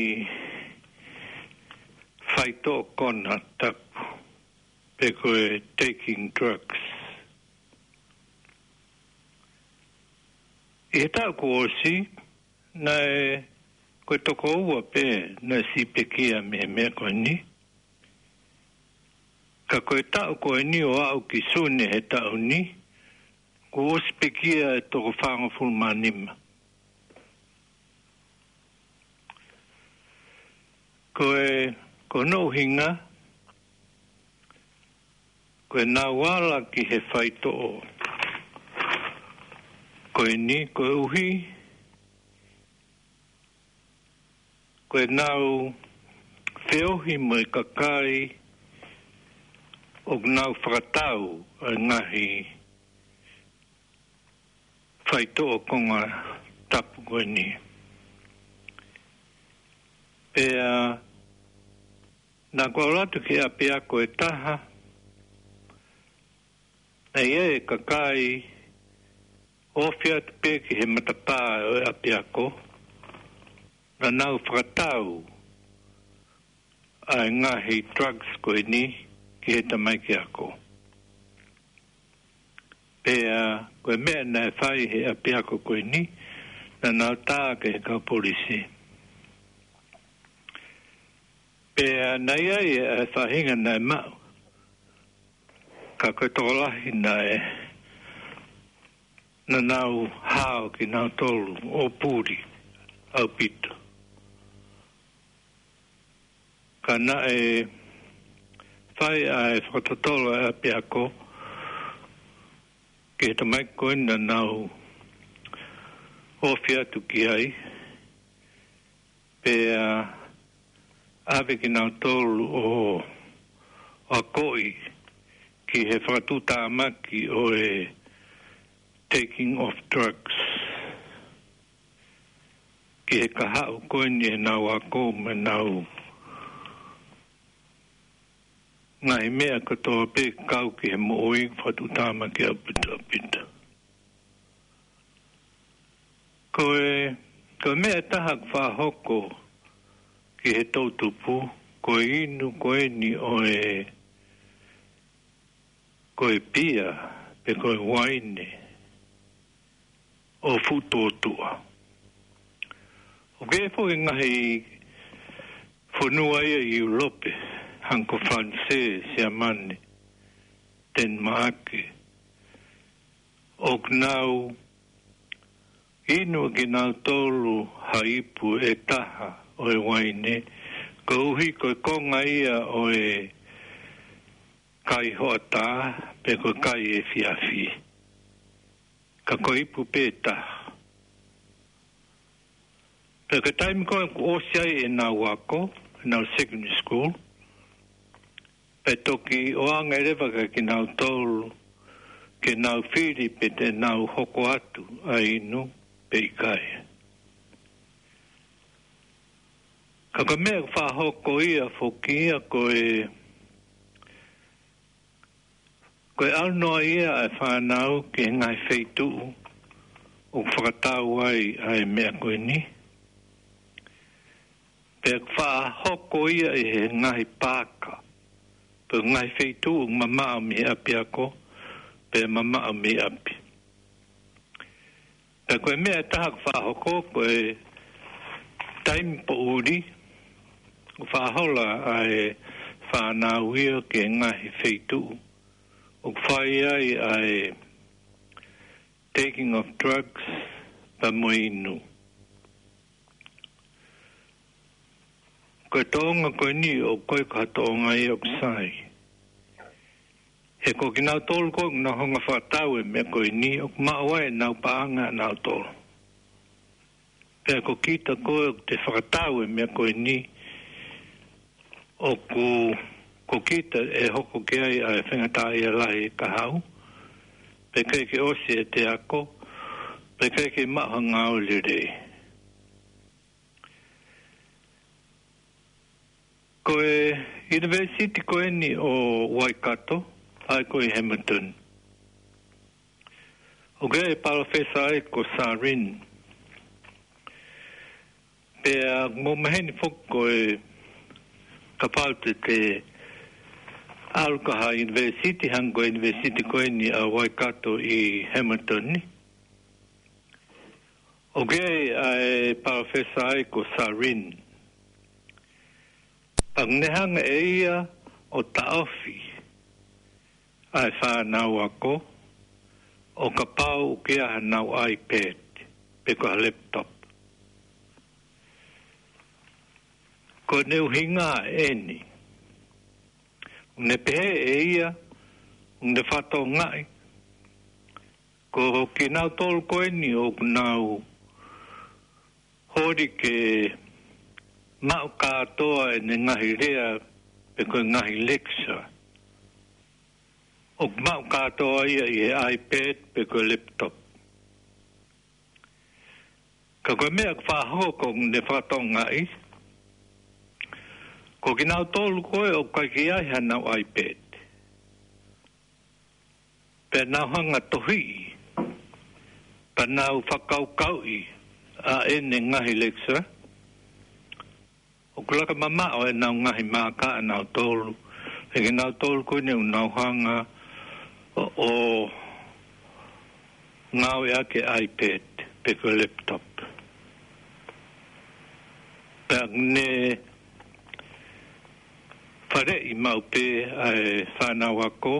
faitoʻo konatapu, pe ko e taking drugs. ʻI he taʻu kuo ʻosi, naʻe ko e toko ua pē naʻe siʻi pekia mei he meʻa ko eni. Ka ko e taʻu ko eni ʻo aʻu ki Sune he taʻu ni, kuo ʻosi pekia e toko fāngofulu mā nima. Ko e, ko hono ʻuhinga, ko ʻenau ala ki he faitoʻo ko eni koeʻuhi ko ʻenau feohi mo e kakai ʻoku nau fakatau ʻa e ngaahi faitoʻo konatapu ko eni. Pea naʻa ku ʻalu atu ki he ʻapiako ʻe taha, naʻe ʻi ai e kakai ofi atu pē ki he matapā ʻo e ʻapiako, naʻa nau fakatau ʻa e ngaahi drugs ko eni ki he tamaiki ako. Pea ko e meʻa naʻe fai he ʻapiako ko eni, naʻa nau tā ki he kau polisi. Pea naʻe ʻi ai e faʻahinga naʻe maʻu, ka ko e tokolahi naʻe, naʻa nau hao kinautolu ʻo puli ʻaupito. Ka naʻe fai ʻa e fakatotolo ʻa e ʻapiako ki he tamaiki ko eni naʻa nau ofi atu ki ai, pea ʻave kinautolu ʻo akoʻi ki he fakatuʻutāmaki ʻo e taking of drugs. ki he kahaʻu ko eni ʻenau ako mo ʻenau ngaahi meʻa kotoa pē kau ki he moʻui, fakatuʻutāmaki ʻaupito ʻaupito. Ko e, ko e meʻa ʻe taha ʻoku faʻa hoko ki he toʻutupu, ko e inu ko eni ʻo e, ko e pia, pe ko e uaine ʻo fuʻu tōtuʻa. ʻOku ʻi ai foki e ngaahi fonua ia ʻi ʻIulope, hangē ko Falanisē, Siamane, Tenimaʻake, ʻoku nau inu ʻe kinautolu ha ipu ʻe taha ʻo e uaine, koeʻuhi ko e konga ia ʻo e kai hoʻatā, pe ko e kai efiafi. Ka ko e ipu pē ʻe taha. Pea ko e taimi ko ē ʻoku ʻosi ai ʻenau ako, ʻenau secondary school, pea toki ʻoange leva kia kinautolu ke nau fili pe te nau hoko atu ʻa e inu pe ʻikai. Ka ko e meʻa ʻoku faʻa hoko ia foki ia ko e, ko e ʻalu noa ia ʻa e fānau ki he ngaahi feituʻu ʻoku fakatau ai ʻa e meʻa ko eni. Pea faʻa hoko ia ʻi he ngaahi paaka, pe ngaahi feituʻu ʻoku mamaʻo mei he ʻapiako, pe mamaʻo mei ʻapi. Pea ko e meʻa ʻe taha ʻoku faʻa hoko, ko e taimi poʻuli, ʻoku faʻa hola ʻa e fānau ia ki he ngaahi feituʻu ʻoku fai ai ʻa e taking of drugs, pea mo e inu. Ko e tōʻonga ko eni ʻoku ʻikai ko ha tōʻonga ia ʻoku sai. He ko kinautolu ko ē ʻoku nau hanga ʻo fakatau e meʻa ko eni, ʻoku maʻu ai ʻenau paʻanga ʻanautolu. Pea ko kita ko ē ʻoku te fakatau e meʻa ko eni, ʻoku, ko kita ʻe hoko ki ai ʻa e faingataʻaʻia lahi ʻi he kahaʻu, pea ʻikai ke ʻosi ʻete ako, pea ʻikai ke maʻu ha ngāue lelei. Ko e ʻunivēsiti ko eni ʻo Waikato, ʻa ia ko ē ʻi Hamilton, ʻoku ʻi ai e palōfesa ai ko Sarin. Pea ʻoku maheni foki ko e kapau te te ʻalu ki ha ʻunivēsiti, hangē ko e ʻunivēsiti ko eni ʻa Waikato ʻi Hamilton ni, ʻoku ʻi ai ʻa e palōfesa ai ko Sarin. Pea ʻoku ne hanga ʻe ia ʻo taʻofi ʻa e fānau ako ʻo kapau ʻoku ʻi ai haʻanau iPad pe ko ha laptop. Ko ʻene ʻuhinga eni, ʻoku ne pehē ʻe ia, ʻoku ne fakatokangaʻi, ko kinautolu ko eni ʻoku nau holi ke maʻu kātoa ʻene ngaahi lea pe ko e ngaahi lecture, ʻoku maʻu kātoa ia ʻi he iPad pe ko e laptop. Ka ko e meʻa ʻoku faʻa hoko, ʻoku ne fakatokangaʻi, ko kinautolu ko ē ʻoku ʻikai ke ʻi ai haʻanau iPad, pea nau hanga ʻo tohiʻi, pea nau fakakaukauʻi ʻa ʻene ngaahi lecture, ʻoku laka mamaʻo ʻenau ngaahi maaka ʻanautolu, ʻe kinautolu ko eni ʻoku nau hanga ʻo, ʻo ngāueʻaki e iPad pe ko e laptop. Pea ʻoku ne faleʻi maʻu pē ʻa e fānau ako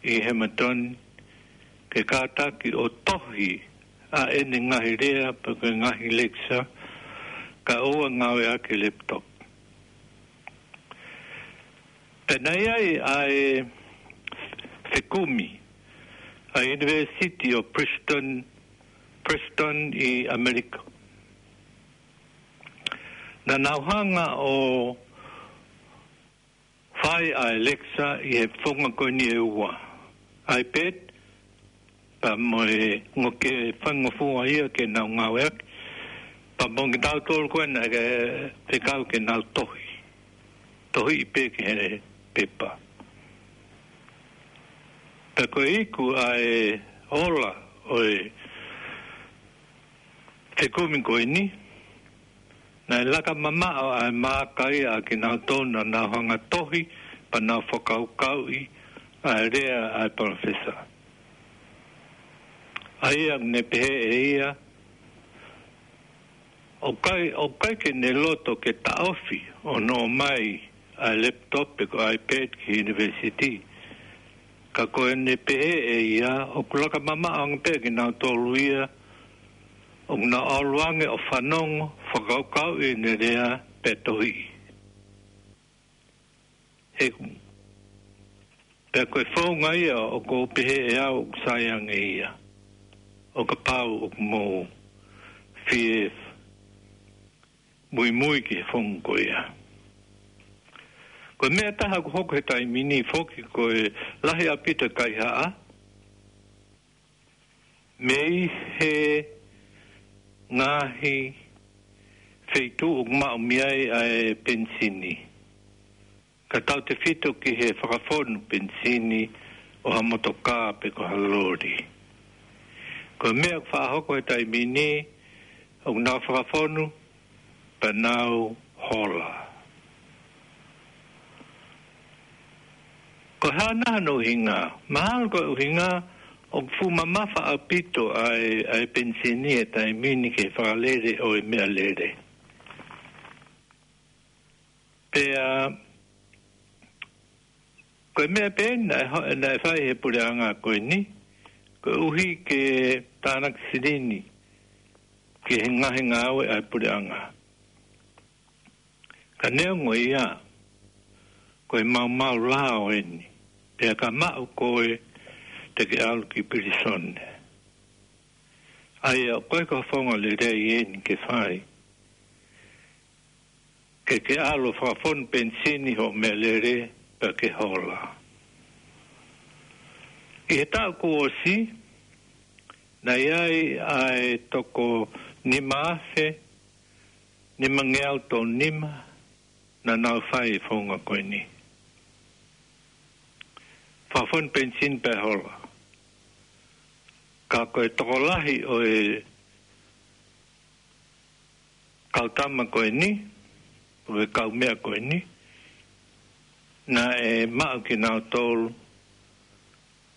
ʻi Hamilton ke kātaki ʻo tohi ʻa ʻene ngaahi lea pe ko e ngaahi lecture, kae ʻoua ʻe ngāueʻaki e laptop. Pea naʻe ʻi ai ʻa e fekumi ʻa e ʻUnivēsiti ʻo Princeton, Princeton ʻi ʻAmelika. Naʻa nau hanga ʻo fai ʻa e lecture ʻi he founga ko eni ʻe ua, iPad, pea mo e ngaahi faingofua ia ke nau ngāueʻaki, Pea mo kitautolu ko ē naʻe fekau ke nau tohi. Tohi pē ki he pepa. Pea ko e iku ʻa e ola ʻo e fekumi ko eni, naʻe laka mamaʻo ʻa e maaka ia ʻa kinautolu naʻa nau hanga tohi, pea nau fakakaukauʻi ʻa e lea ʻa e palōfesa. ʻA ia ne pehē ʻe ia, ʻoku ʻikai, ʻoku ʻikai ke ne loto ke taʻofi ʻo nofo mai ʻa e laptop pe ko e iPad ki he university. Ka ko ʻene pehē ʻe ia, ʻoku laka mamaʻo ange pē kinautolu ia, ʻoku nau ʻalu ange ʻo fanongo, fakakaukauʻi ʻene lea pea tohi. He, pea ko e founga ia ʻoku ou pehē ʻe au ʻoku sai ange ia. ʻO kapau ʻoku mou fie muimui ki he founga ko ia. Ko e meʻa ʻe taha ʻoku hoko he taimi ni foki ko e lahi ʻaupito e kaihaʻa mei he ngaahi feituʻu ʻoku maʻu mei ai ʻa e penisini. Ka tautefito ki he fakafonu penisini ʻo ha motokā pe ko ha loli. Ko e meʻa ʻoku faʻa hoko he taimi ni, ʻoku nau fakafonu, pea nau hola. Ko e hā nai hono ʻuhinga? Mahalo ko e ʻuhinga ʻoku fuʻu mamafa ʻaupito ʻa e, ʻa e penisini he taimi ni ki he fakalele ʻo e meʻalele. Pea, ko e meʻa pē naʻe ho-, naʻe fai he puleʻanga ko eni, koeʻuhi ke tānaki silini ki he ngaahi ngāue ʻa e puleʻanga. Ka neongo ia, ko e maumau lao eni, pea ka maʻu koe te ke ʻalu ki pilīsone. ʻA ia, ko e ka founga lelei eni ke fai. Ke ke ʻalu ʻo fakafonu penisini hoʻo meʻalele pea ke hola. ʻI he taʻu kuo ʻosi, naʻe ʻi ai ʻa e toko nima afe, nimangeau tolu nima, naʻa nau fai e founga ko eni. Fakafonu penisini pea hola. Ka ko e tokolahi ʻo e kau tama ko eni, ʻo e kau meʻa ko eni, naʻe maʻu kinautolu,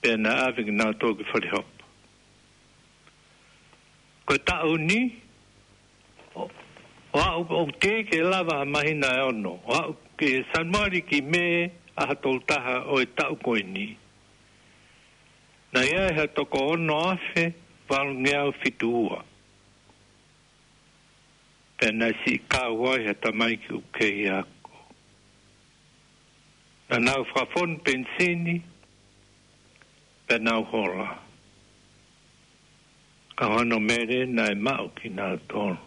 pea naʻe ʻave kinautolu ki falehopo. Ko e taʻu ni, ʻo, ʻo aʻu, ʻoku teʻeki ke lava ha māhina ʻe ono, ʻo aʻu ki Sānuali ki Mē ʻaho tolu taha ʻo e taʻu ko eni, naʻe ʻi ai ha toko ono afe valungeau fitu ua. Pea naʻe siʻi kau ai ha tamaiki ʻoku kei ako. Naʻa nau fakafonu penisini, pea nau hola. Ka ko hono mele naʻe maʻu kinautolu.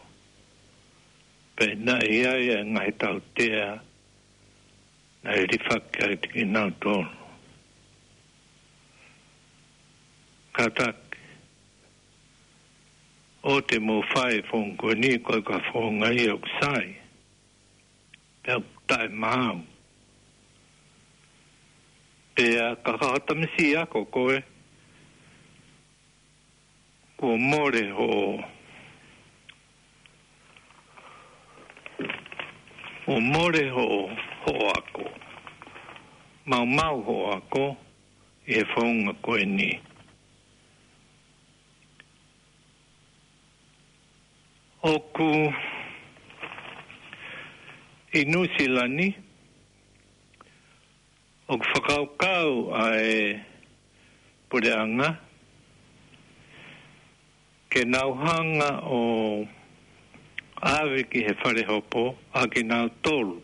Pea naʻe ʻi ai ʻa e ngaahi tautea, naʻe lifaki ai kinautolu. Kātaki, ʻoua te mou fai e founga ko eni, ko e ka founga ia ʻoku sai. Pea ʻoku taʻemaau. Pea ka ka tamasiʻi ako koe, kuo mole hoʻo, kuo mole hoʻo, hoʻo ako. Maumau hoʻo ako ʻi he founga ko eni. ʻOku ʻi Nuʻusila ni, ʻoku fakakaukau ʻa e puleʻanga ke nau hanga ʻo ʻave ki he falehopo ʻa kinautolu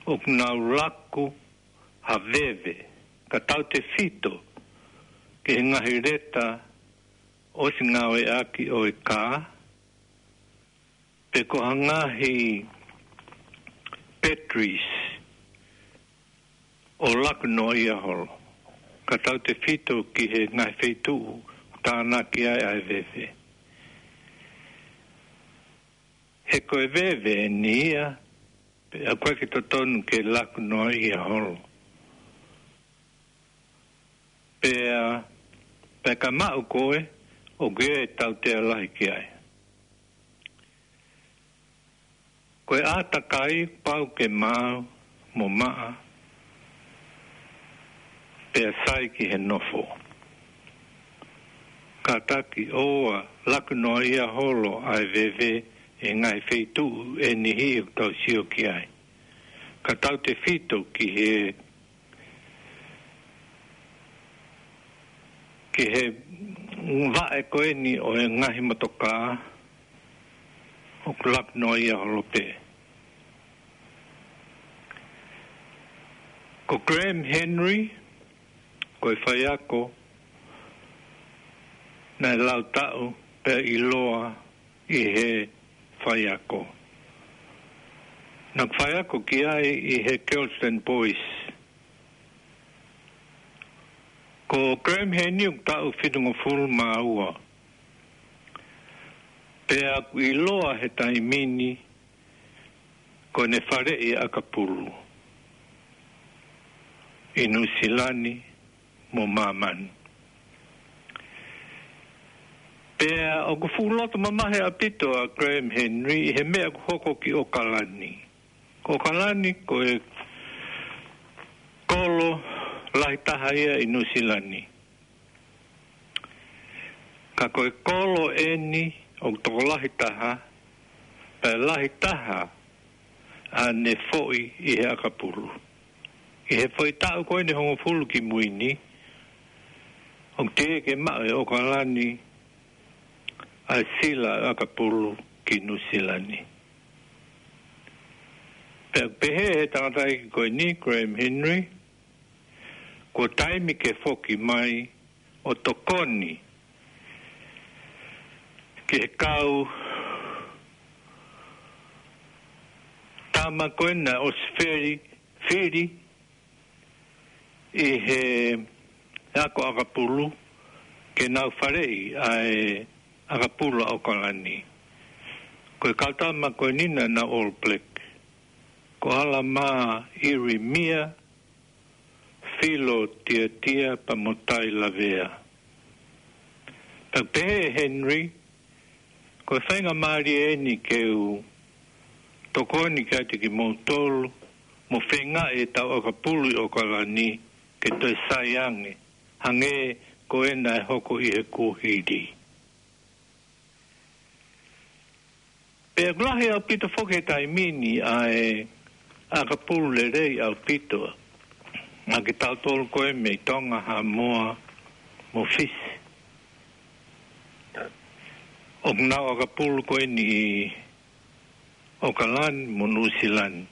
ʻoku nau laku ha veve, ka tautefito ki he ngaahi leta ʻosi ngāueʻaki ʻo e kā, pe ko ha ngaahi batteries ʻo laku noaʻia holo, ka tautefito ki he ngaahi feituʻu tānaki ai ʻa e veve. ko e veve ʻeni ia, pea ʻoku ʻikai ke totonu ke laku noaʻia holo. Pea, pea ka maʻu koe, ʻoku ʻi ai e tautea lahi ki ai. Ko e ʻātakai pau ke maau mo maʻa, pea sai ki he nofo. Kātaki ʻoua laku noaʻia holo ʻa e veve ʻi he ngaahi feituʻu ʻe niʻihi ʻoku tau sio ki ai. Ka tautefito ki he, ki he vaʻe ko eni ʻo e ngaahi motokā, ʻoku laku noaʻia holo pē. Ko Graham Henry, ko e faiako naʻe lau taʻu pea ʻiloa ʻi he faiako. Naʻe faiako ki ai ʻi he Kelston Boys. Ko Graham Henry ʻoku taʻu fitungofulu mā ua. Pea ʻoku ʻiloa he taimi ni ko ʻene faleʻi ʻakapulu ʻi Nuʻusila ni mo māmani. Pea ʻoku fuʻu loto mamahi ʻaupito ʻa Graham Henry ʻi he meʻa ʻoku hoko ki ʻOkalani. Ko ʻOkalani ko e kolo lahi taha ia ʻi Nuʻusila ni. Ka ko e kolo ʻeni ʻoku tokolahi taha, pea lahi taha ʻa ʻene foʻi ʻi he ʻakapulu. ʻI he foʻi taʻu ko eni ʻe hongofulu ki mui ni, ʻoku teʻeki ke maʻu ʻe ʻOkalani ʻa e sila ʻakapulu ki Nuʻusila ni. Pea pehē ʻe he tangataʻeiki ko eni, Graham Henry, kuo taimi ke foki mai ʻo tokoni ki he kau tama ko ena ʻosi fili, fili ʻi he ako ʻakapulu ke nau faleʻi ʻa e ʻakapulu ʻa ʻOkalani. Ko e kau tama ko eni naʻa nau All Black. Ko ʻAlamā ʻIrimia, Filo Tiatia pea mo Tai Lavea. Pea pehē ʻe Henry, ko e faingamālie ʻeni ke u tokoni kiate kimoutolu, mo feingaʻi ʻetau ʻakapulu ʻi ʻOkalani ke toe sai ange, hangē ko ena ʻe hoko ʻi he kuohili. Pea ʻoku lahi ʻaupito foki he taimi ni ʻa e ʻakapulu lelei ʻaupito ʻa kitautolu ko ē mei Tonga, Haʻamoa mo Fisi. ʻOku nau ʻakapulu ko eni ʻi ʻOkalani mo Nuʻusila ni.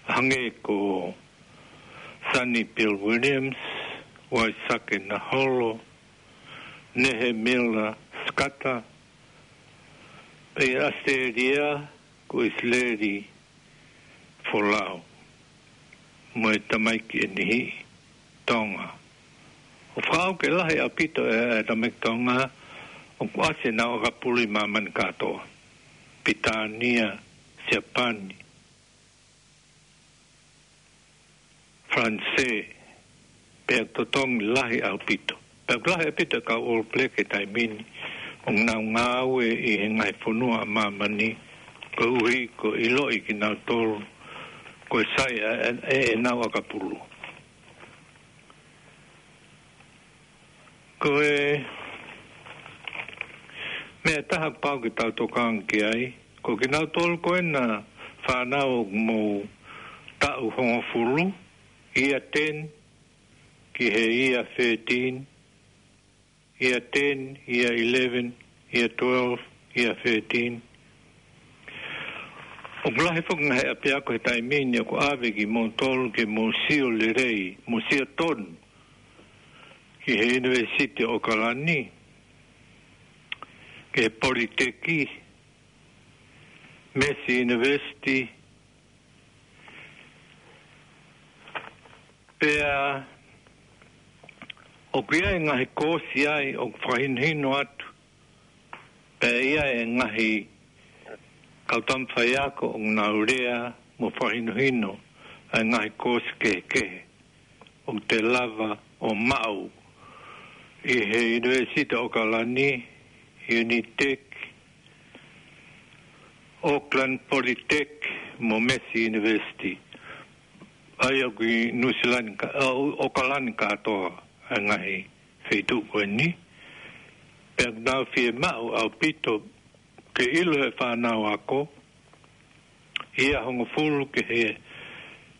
Hangē ko Sonny Bill Williams, Waisake Naholo, Nehemiah Skata, pea ʻi ʻAositelēlia ko ʻIsileli Folau, mo e tamaiki ʻe niʻihi Tonga. ʻOku fakaʻau ke lahi ʻaupito e, e tamaiki Tonga ʻoku ʻasi ʻenau ʻakapulu ʻi māmani kātoa. Pilitānia, Siapani, Falanisē, pea totongi lahi ʻaupito. Pea ʻoku lahi ʻaupito e kau All Black he taimi ni, ʻoku nau ngāue ʻi he ngaahi fonua ʻa māmani, koeʻuhi ko e ʻiloʻi kinautolu ko e sai ʻa e, e, ʻenau ʻakapulu. Ko e meʻa ʻe taha ʻoku pau ke tau tokanga ki ai, ko kinautolu ko ena fānau ʻoku mou taʻu hongofulu, Year ten ki he Year thirteen, Year ten, Year eleven, Year twelve, Year thirteen. ʻOku lahi foki e ngaahi ʻapiako he taimi ni ʻoku ʻave kimoutolu ke mou sio lelei, mou sio tonu ki he University ʻOkalani, ki he Politeki, Massey University, pea ʻoku ʻi ai e ngaahi koosi ai ʻoku fakahinohino atu, pea ʻi ai e ngaahi kau tama faiako ʻoku nau lea mo fakahinohino ʻa e ngaahi koosi kehekehe ʻoku te lava ʻo maʻu ʻi he University ʻOkalani, Unitec, Auckland Polytech mo Massey University. ʻA ia ʻoku ʻi Nuʻusila ni ka, ʻo, ʻOkalani kātoa ʻa e ngaahi feituʻu ko eni. Pea ʻoku nau fiemaʻu ʻaupito ke ʻilo he fānau ako, iā hongofulu ki he,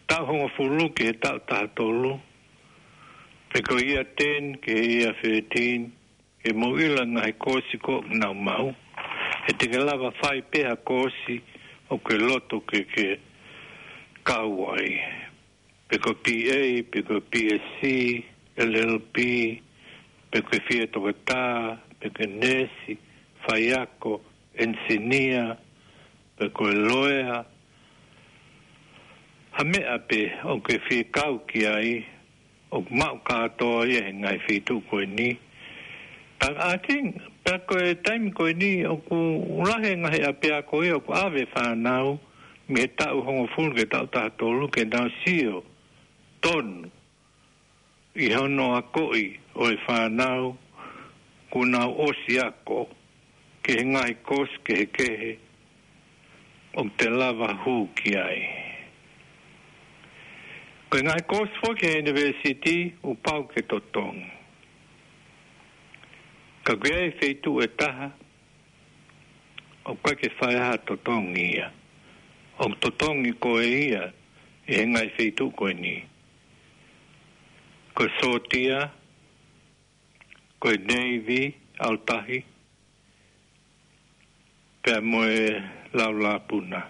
taʻu hongofulu ki he taʻu taha tolu, pe ko e iā ten ki he iā thirteen, ke mou ʻilo ngaahi koosi ko ē ʻoku nau maʻu. He te ke lava fai pē ha koosi ʻoku ke loto ke ke kau ai. Pe ko e B A, pe ko e B S C, L L B, pe ko e fie toketā, pe ko e neesi, faiako, enisinia, pe ko e loea, ha meʻa pē ʻoku ke fie kau ki ai, ʻoku maʻu kātoa ia he ngaahi feituʻu ko eni. But I think, pea ko e taimi ko eni ʻoku lahi e ngaahi ʻapiako ia ʻoku ʻave fānau mei he taʻu hongofulu ki he taʻu taha tolu ke nau sio tonu ʻi hono akoʻi ʻo e fānau kuo nau ʻosi ako ki he ngaahi koosi kehekehe ʻoku te lava hū ki ai. Ko e ngaahi koosi foki he university ʻoku pau ke totongi. Ka ʻoku ʻi ai e feituʻu ʻe taha ʻoku ʻikai ke fai ha totongi ia. ʻOku totongi ko ē ia ʻi he ngaahi feituʻu ko eni. Ko e sōtia, ko e Navy, ʻalu tahi, pea mo e laulāpuna.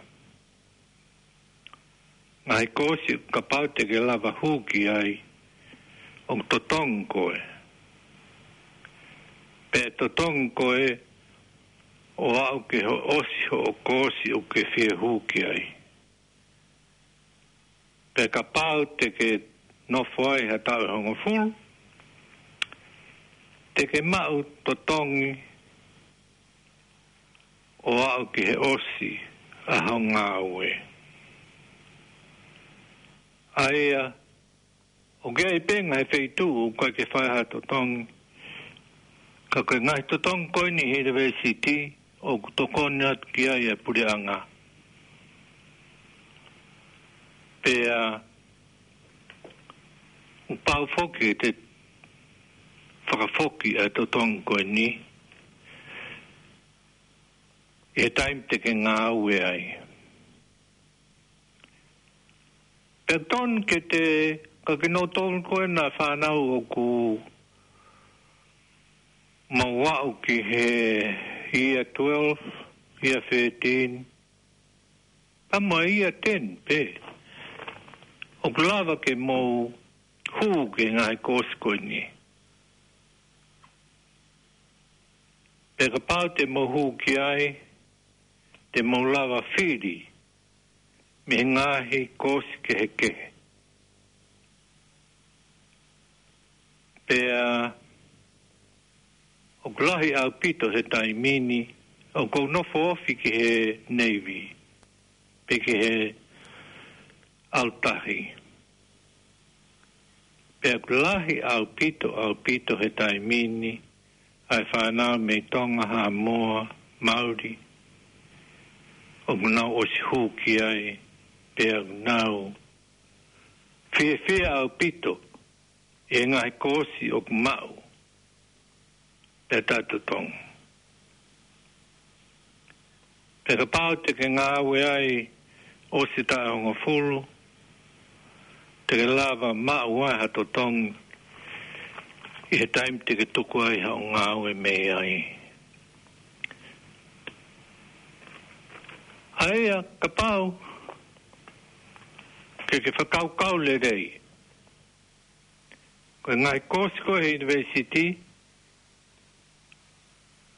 Ngaahi koosi kapau te ke lava hū ki ai, ʻoku totongi koe. Pea totongi koe ʻo aʻu ke ho-, ʻosi hoʻo koosi ʻoku ke fie hū ki ai. Pea kapau te ke nofo ai ha taʻu ʻe hongofulu, te ke maʻu totongi ʻo aʻu ki he ʻosi ʻa hoʻo ngāue. ʻA ia, ʻoku ʻi ai pē ngaahi feituʻu ʻoku ʻikai ke fai ha totongi, ka ko e ngaahi totongi ko eni he university ʻoku tokoni atu ki ai e puleʻanga. Pea ʻoku pau foki ke te fakafoki ʻa e totongi ko eni ʻi he taimi te ke ngāue ai. Pea tonu ke te, ka kinautolu ko ena fānau ʻoku mou aʻu ki he iā twelve, iā thirteen, pea mo e iā ten pē, ʻoku lava ke mou hū ki he ngaahi koosi ko eni. Pea kapau te mou hū ki ai, te mou lava fili mei he ngaahi koosi kehekehe. Pea ʻoku lahi ʻaupito he taimi ni ʻoku ou nofo ofi ki he Navy, pe ki he ʻalu tahi. Pea ʻoku lahi ʻaupito, ʻaupito he taimi ni ʻa e fānau mei Tonga, Haʻamoa, Mauli, ʻoku nau ʻosi hū ki ai, pea ʻoku nau fiefia ʻaupito ʻi he ngaahi koosi ʻoku maʻu pea taʻetotongi. Pea kapau te ke ngāue ai ʻosi taʻu ʻe hongofulu, te ke lava maʻu ai ha totongi ʻi he taimi te ke tuku ai haʻo ngāue mei ai. ʻA ia kapau ke ke fakakaukau lelei, ko e ngaahi koosi ko ē he university,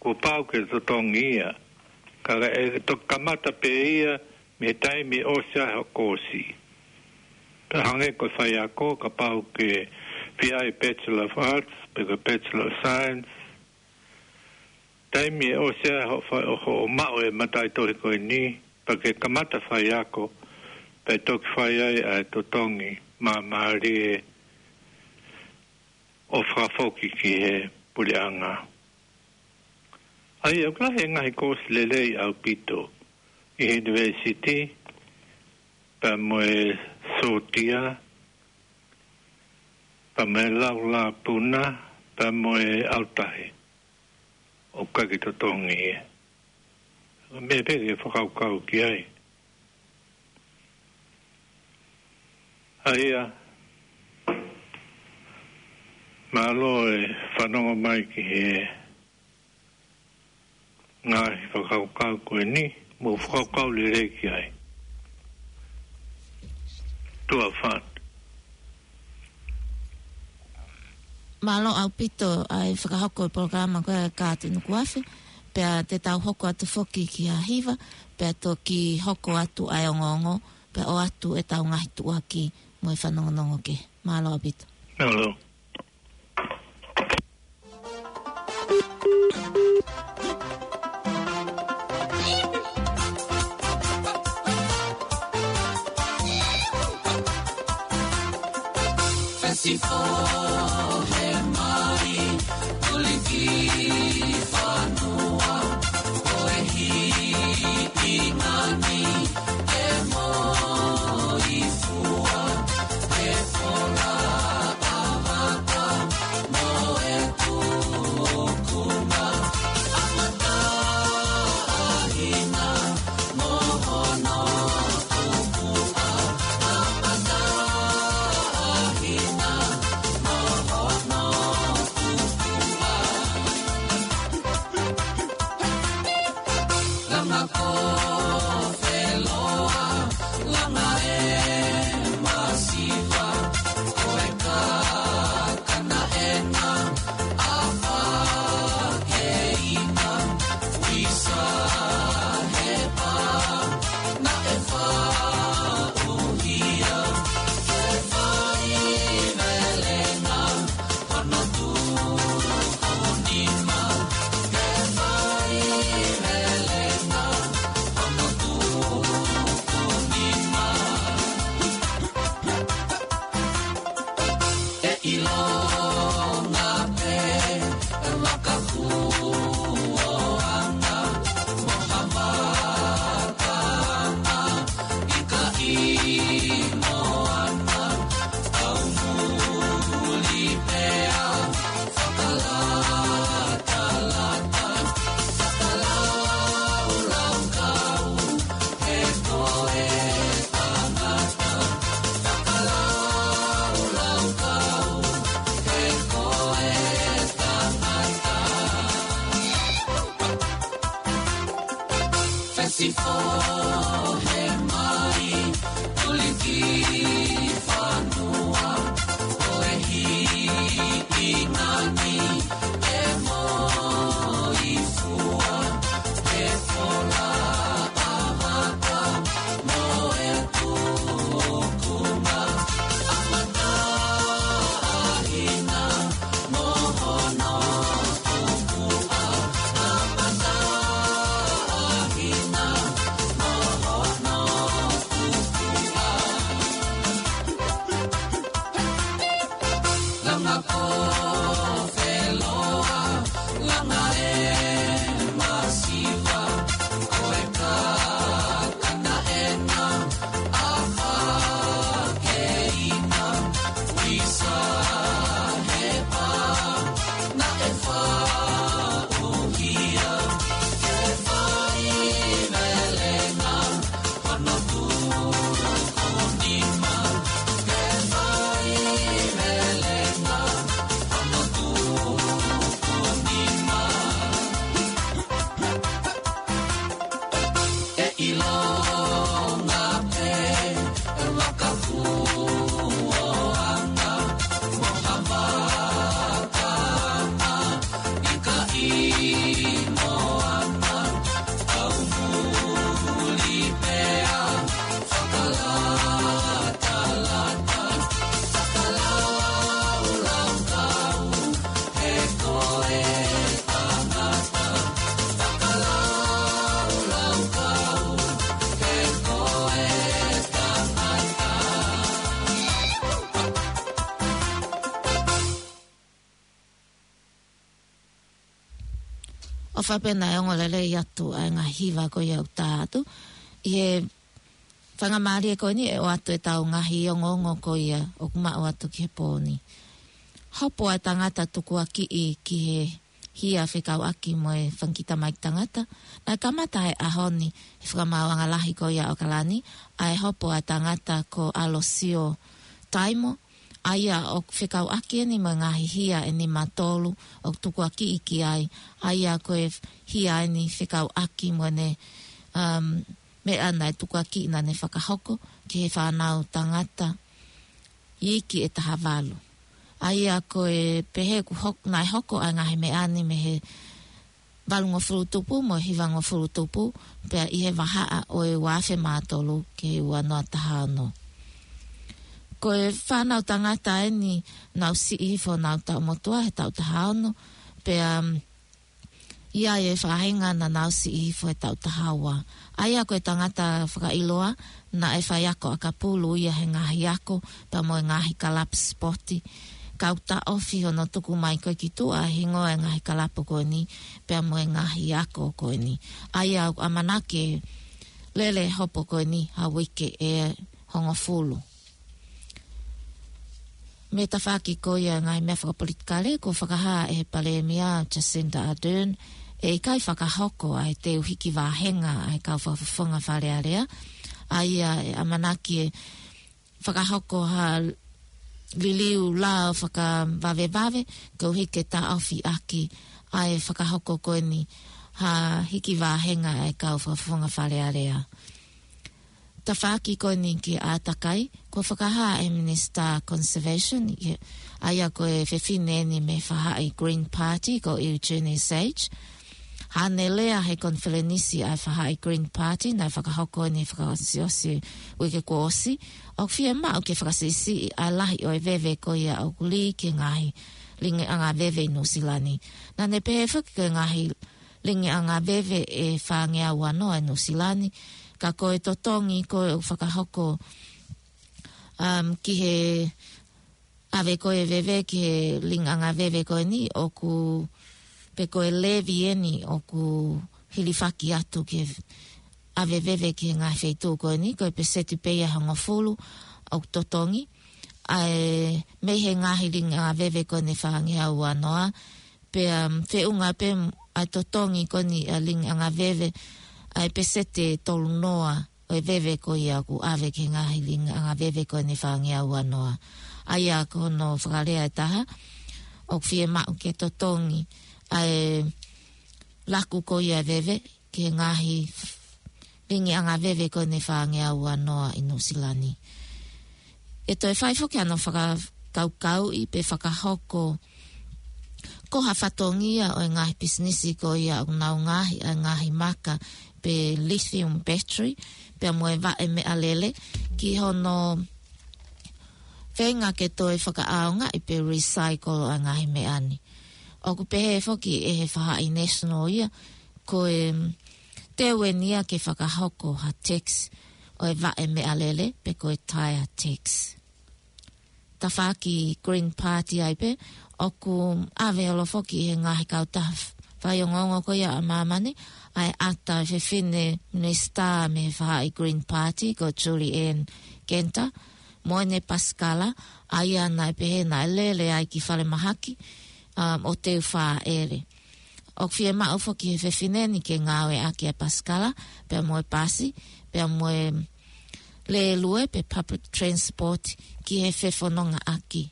kuo pau ke totongi ia. Ka ʻe toki kamata pē ia mei he taimi ʻe ʻosi ai hoʻo koosi. Pea hangē ko e faiako, kapau ke fai e Bachelor of Arts, pe ko e Bachelor of Science, taimi ʻe ʻosi ai hoʻo fa-, hoʻo maʻu e mataʻitohi ko eni, Pea ke kamata faiako, pea toki fai ai ʻa e totongi māmālie ʻo fakafoki ki he puleʻanga. ʻA ia ʻoku lahi e ngaahi kōsi lelei ʻaupito ʻi he ʻunivēsiti, pea mo e sōtia, pea mo e laulāpuna, pea mo e autahe ʻoku ʻikai ke totongi ia. Ko e meʻa pē ke fakakaukau ki ai. ʻA ia, mālō e fanongo mai ki he ngaahi fakakaukau ko eni, mou fakakaukau lelei ki ai. Tuʻa ʻofa atu. Mālō ʻaupito ʻa e fakahoko e polokalama ko e Kātuni Kuafe, pea te tau hoko atu foki ki ha hiva, pea toki hoko atu ʻa e ongoongo, pea ʻoatu ʻetau ngaahi tuʻuaki mo e fanongonongo kehe. Mālō ʻaupito. Mālō. Fesifohe mai, tuliki fanua, ko e hiʻingani, e moifua, e fola ʻavaka, mo e tukunga, ʻa mataʻahina, mo hono tukuʻa, ʻa mataʻahina, mo hono tukuʻa. Langa ko feloa, langa e masiva, ko e kakana ʻena, ʻa fakeina, uisa he pā, naʻe faʻuhia, ke fai melenga, hono tuku nima, ke fai melenga, hono tuku nima. ʻE ʻilonga pē, e makakuoanga, mo ha vakaanga, ʻikai moana, kau vuli pea fakalatalata, fakalaulaukau, he ko e tangata, fakalaulaukau, he ko e tangata. Fesifohe mai, tuliki fanua, ko e hiʻingani, e moifua, e fola ʻavaka, mo e tukunga, ʻa mataʻahina, mo hono tukuʻa, ʻa mataʻahina, mo faʻa pē naʻe ongo lelei atu ʻa e ngaahi hiva ko ia ʻoku tā atu. ʻI he faingamālie ko eni ʻe ʻoatu ʻetau ngaahi ongoongo ko ia ʻoku maʻu atu ki he pō ni. Hopo ʻa e tangata tukuakiʻi ki he hia fekauʻaki mo e fanga kiʻi tamaiki tangata. Naʻe kamata he ʻaho ni he fakamaauʻanga lahi ko ia ʻAokalani, ʻa e hopo ʻa e tangata ko ʻAlosio Taimo, ʻa ia ʻoku fekauʻaki eni mo e ngaahi hia ʻe nima tolu ʻoku tukuakiʻi ki ai, ʻa ia ko e hia eni fekauʻaki mo ʻene, um, meʻa naʻe tukuakiʻi naʻa ne fakahoko ki he fānau tangata iiki ʻe taha valu. ʻA ia ko e pehē ʻoku hok-, naʻe hoko ʻa e ngaahi meʻa ni mei he valungofulu tupu mo e hivangofulu tupu, pea ʻi he vahaʻa ʻo e ua afe mā tolu ki he ua noa taha ono. Ko e fānau tangata eni naʻa nau siʻi hifo honau taʻu motuʻa he taʻu taha ono, pea, um, ʻi ai e faʻahinga naʻa nau siʻi hifo he taʻu taha ua. ʻA ia ko e tangata fakaʻiloa, naʻe faiako ʻakapulu ia he ngaahi ako, pea mo e ngaahi kalapu sipoti. Kau taʻofi hono tuku mai ko ē ki tuʻa e hingoa e ngaahi kalapu ko eni, pea mo e ngaahi ako ko eni. ʻA ia ʻoku ʻamanaki ʻe lele hopo ko eni ha uike ʻe hongofulu. Mei he tafaʻaki ko ia ngaahi meʻa fakapolitikale, kuo fakahā ʻe he Palēmia Jacinda Ardern ʻe ʻikai fakahoko ʻa e teu hiki vāhenga ʻa e kau fakafofonga Fale Alea. ʻA ia ʻe ʻamanaki ʻe fakahoko ha liliu lao fakavavevave, koeʻuhi ke taʻofi ʻaki ʻa e fakahoko ko eni ha hiki vāhenga ʻa e kau fakafofonga Fale Alea. Tafaʻaki ko eni ki he ʻātakai, kuo fakahā ʻe he Minisitā Conservation, ʻa ia ko e fefine eni mei he faʻahi Green Party, ko Eugenie Sage. Haʻane lea he konifelenisi ʻa e faʻahi Green Party, naʻe fakahoko eni fakaʻosiʻosi uike kuo ʻosi, ʻoku fiemaʻu ke fakasiʻisiʻi ʻa e lahi ʻo e veve ko ia ʻoku lī ki he ngaahi lingiʻanga veve ʻi Nuʻusila ni. Naʻa ne pehē foki ko e ngaahi lingiʻanga veve ʻe fāngeau ua noa ʻi Nuʻusila ni, ka ko e totongi ko ē ʻoku fakahoko, um, ki he ʻave ko ē veve ki he lingiʻanga veve ko eni ʻoku, pe ko e levy eni ʻoku hilifaki atu ki he ʻave veve ki he ngaahi feituʻu ko eni, ko e peseti pē ia ʻe hongofulu ʻoku totongi. ʻA e mei he ngaahi lingiʻanga veve ko eni ʻe fāngeau ua noa, pea, um, feʻunga pē ʻa e totongi ko eni ʻa e lingiʻanga veve, ʻa e peseti ʻe tolu noa ʻo e veve ko ia ʻoku ʻave ki he ngaahi lingiʻanga veve ko eni ʻe fāngeau ua noa. ʻA ia ko hono fakalea ʻe taha, ʻoku fiemaʻu ke totongi ʻa e laku ko ia ʻo e veve ki he ngaahi lingiʻanga veve ko eni ʻe fāngeau ua noa ʻi Nuʻusila ni. ʻE toe fai foki hano fakakaukauʻi pe fakahoko ko ha fatongia ʻo e ngaahi pisinisi ko ia ʻoku nau ngaohi ʻa e ngaahi maka pe lithium battery, pea mo e vaʻe meʻalele, ki hono feinga ke toe fakaʻaongaʻi pe recycle ʻa e ngaahi meʻa ni. ʻOku pehē foki ʻe he faʻahi National ia, ko e, mm, teu eni ia ke fakahoko ha tax ʻo e vaʻe meʻalele, pe ko e tire tax. Tafaʻaki Green Party ai pē, ʻoku ʻave holo foki ʻe he ngaahi kautaha faiongoongo ko ia ʻa māmani, ʻa e ʻata ʻo e fefine minisitā mei he faʻahi Green Party, ko Julie Anne Genter, mo ʻene pasikala, ʻa ia naʻe pehē naʻe lele ai ki falemahaki, um, ʻo teu fāʻele. ʻOku fiemaʻu foki ʻe he fefine ni ke ngāueʻaki ʻa e pasikala, pea mo e pasi, pea mo e lēlue pe public transport ki he fefonongaʻaki.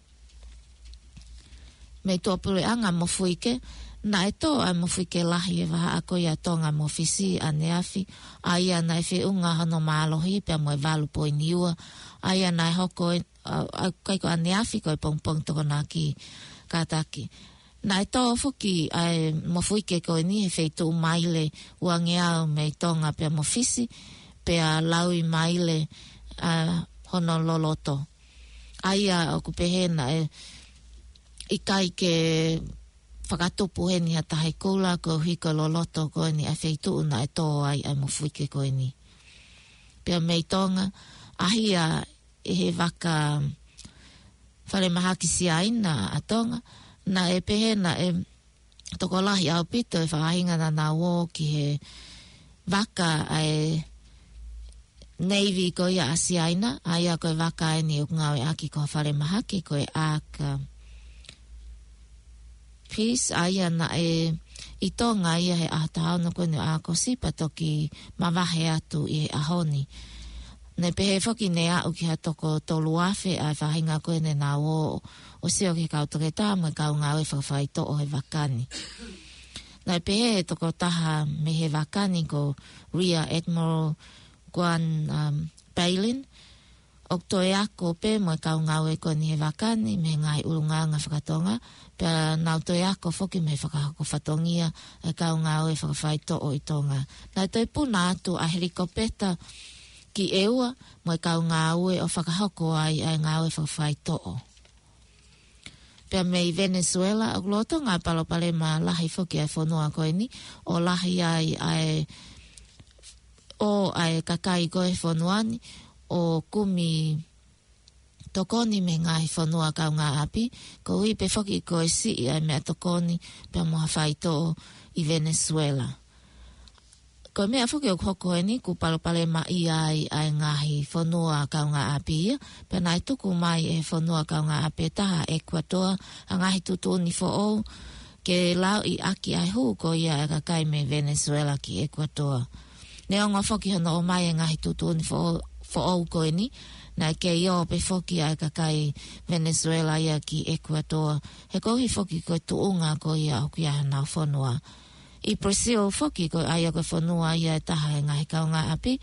Mei tuʻapuleʻanga Mofuike, naʻe tō ʻa e mofuike lahi he vahaʻa ko ia ʻa Tonga mo Fisi ʻaneafi, ʻa ia naʻe feʻunga hono mālohi pea mo e valu poini ua, ʻa ia naʻe hoko ʻa, ʻa, ʻikai ko ʻaneafi, ko e pongipongi Tokonaki kātaki. Naʻe tō foki ʻa e mofuike ko eni he feituʻu maile uangeau mei Tonga pea mo Fisi, pea laui maile, ʻa, hono loloto. ʻA ia ʻoku pehē naʻe ʻikai ke fakatupu heni ha tahi kula koeʻuhi ko e loloto ko eni ʻa e feituʻu naʻe tō ai ʻa e mofuike ko eni. Pea mei Tonga, ʻahia ʻe he vaka falemahaki Siaina ʻa Tonga, naʻe pehē naʻe tokolahi ʻaupito e faʻahinga naʻa nau ō ki he vaka ʻa e Navy ko ia ʻa Siaina, ʻa ia ko e vaka eni ʻoku ngāueʻaki ko ha falemahaki ko e Ark, uh, Peace, ʻa ia naʻe ʻi Tonga ia he ʻaho taha ono ko eni ʻo ʻAokosi pea toki mavahe atu ʻi he ʻaho ni. Naʻe pehē foki naʻe aʻu ki ha toko tolu afe ʻa e faʻahinga ko eni naʻa nau ō ʻo sio ki he kau toketā mo e kau ngāue fakafaitoʻo he vaka ni. Naʻe pehē ʻe he tokotaha mei he vaka ni ko Rear Admiral Guan, um, Palin, ʻoku toe ako pē mo e kau ngāue ko eni he vaka ni mei he ngaahi ʻulungaanga fakatonga, pea nau toe ako foki mei he fakahoko fatongia e kau ngāue fakafaitoʻo ʻi Tonga. Naʻe toe puna atu ʻa e helikopeta ki ʻEua mo e kau ngāue ʻo fakahoko ai ʻa e ngāue fakafaitoʻo. Pea mei Venezuela, ʻoku lolotonga e palopalema lahi foki ʻa e fonua ko eni, ʻo lahi ai ʻa e, ʻo ʻa e kakai ko ē he fonua ni, ʻo kumi tokoni mei he ngaahi fonua kaungāʻapi, koeʻuhi pē foki ko e siʻi ʻa e meʻatokoni pea mo ha faitoʻo ʻi Venezuela. Ko e meʻa foki ʻoku hoko eni, kuo palopalemaʻia ai ʻa e ngaahi fonua kaungāʻapi ia, pea naʻe tuku mai ʻe he fonua kaungāʻapi ʻe taha, ʻEkuatoa, ha ngaahi tuʻutuʻuni foʻou ke lauʻi ʻaki ʻa e hū ko ia ʻa e kakai mei Venezuela ki ʻEkuatoa. Neongo foki hono ʻomai e ngaahi tuʻutuʻuni foʻou, foʻou ko eni, naʻe kei ō pē foki ʻa e kakai Venezuela ia ki ʻEkuatoa, he koeʻuhi foki ko e tuʻunga ko ia ʻoku ʻi ai honau fonua. ʻI Brazil foki, ko ia ko e fonua ia ʻe taha ʻi he ngaahi kaungāʻapi,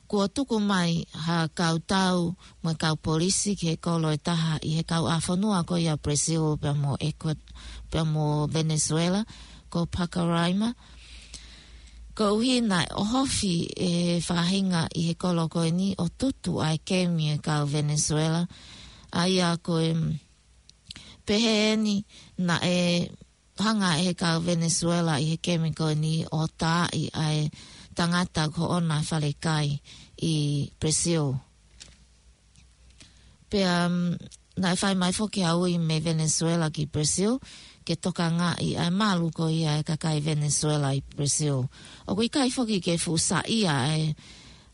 kuo tuku mai ha kau tau mo e kau polisi ki he kolo ʻe taha ʻi he kauʻāfonua ko ia Brazil pea mo Ecuador, pea mo Venezuela, ko Pacaraima. Koeʻuhi naʻe ʻohofi ʻe he faʻahinga ʻi he kolo ko eni ʻo tutu ʻa e kemi ʻa e kau Venezuela. ʻA ia ko e, mm, pehē eni naʻe hanga ʻe he kau Venezuela ʻi he kemi ko eni ʻo taaʻi ʻa e tangata ko ē ʻoku ʻi ai ʻa e falekai ʻi Brazil. Pea, mm, naʻe fai mai foki ha ui mei Venezuela ki Brazil, ke tokangaʻi ʻa e malu ko ia ʻa e kakai Venezuela ʻi Brazil. ʻOku ʻikai foki ke fuʻu saiʻia ʻa e,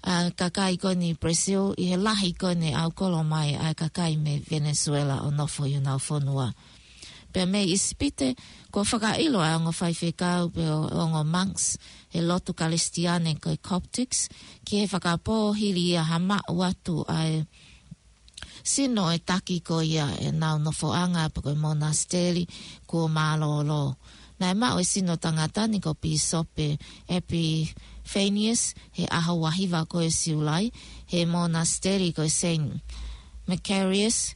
ʻa e kakai ko eni Brazil ʻi he lahi ko eni ʻoku kolo mai ʻa e kakai mei Venezuela ʻo nofo ʻi honau fonua. Pea mei ʻIsipite, kuo fakaʻilo ʻa e ongo faifekau pe ongo monks he lotu Kalisitiane ko e Coptics, ki he fakapō hili ia ha maʻu atu ʻa e sino ʻo e taki ko ia ʻenau nofoʻanga pe ko e monasiteli kuo mālōlō. Naʻe maʻu e sino tangata ni ko Pīsope Epiphanius he ʻaho ua hiva ko ē Siulai, he monasiteli ko e Saint Macarius,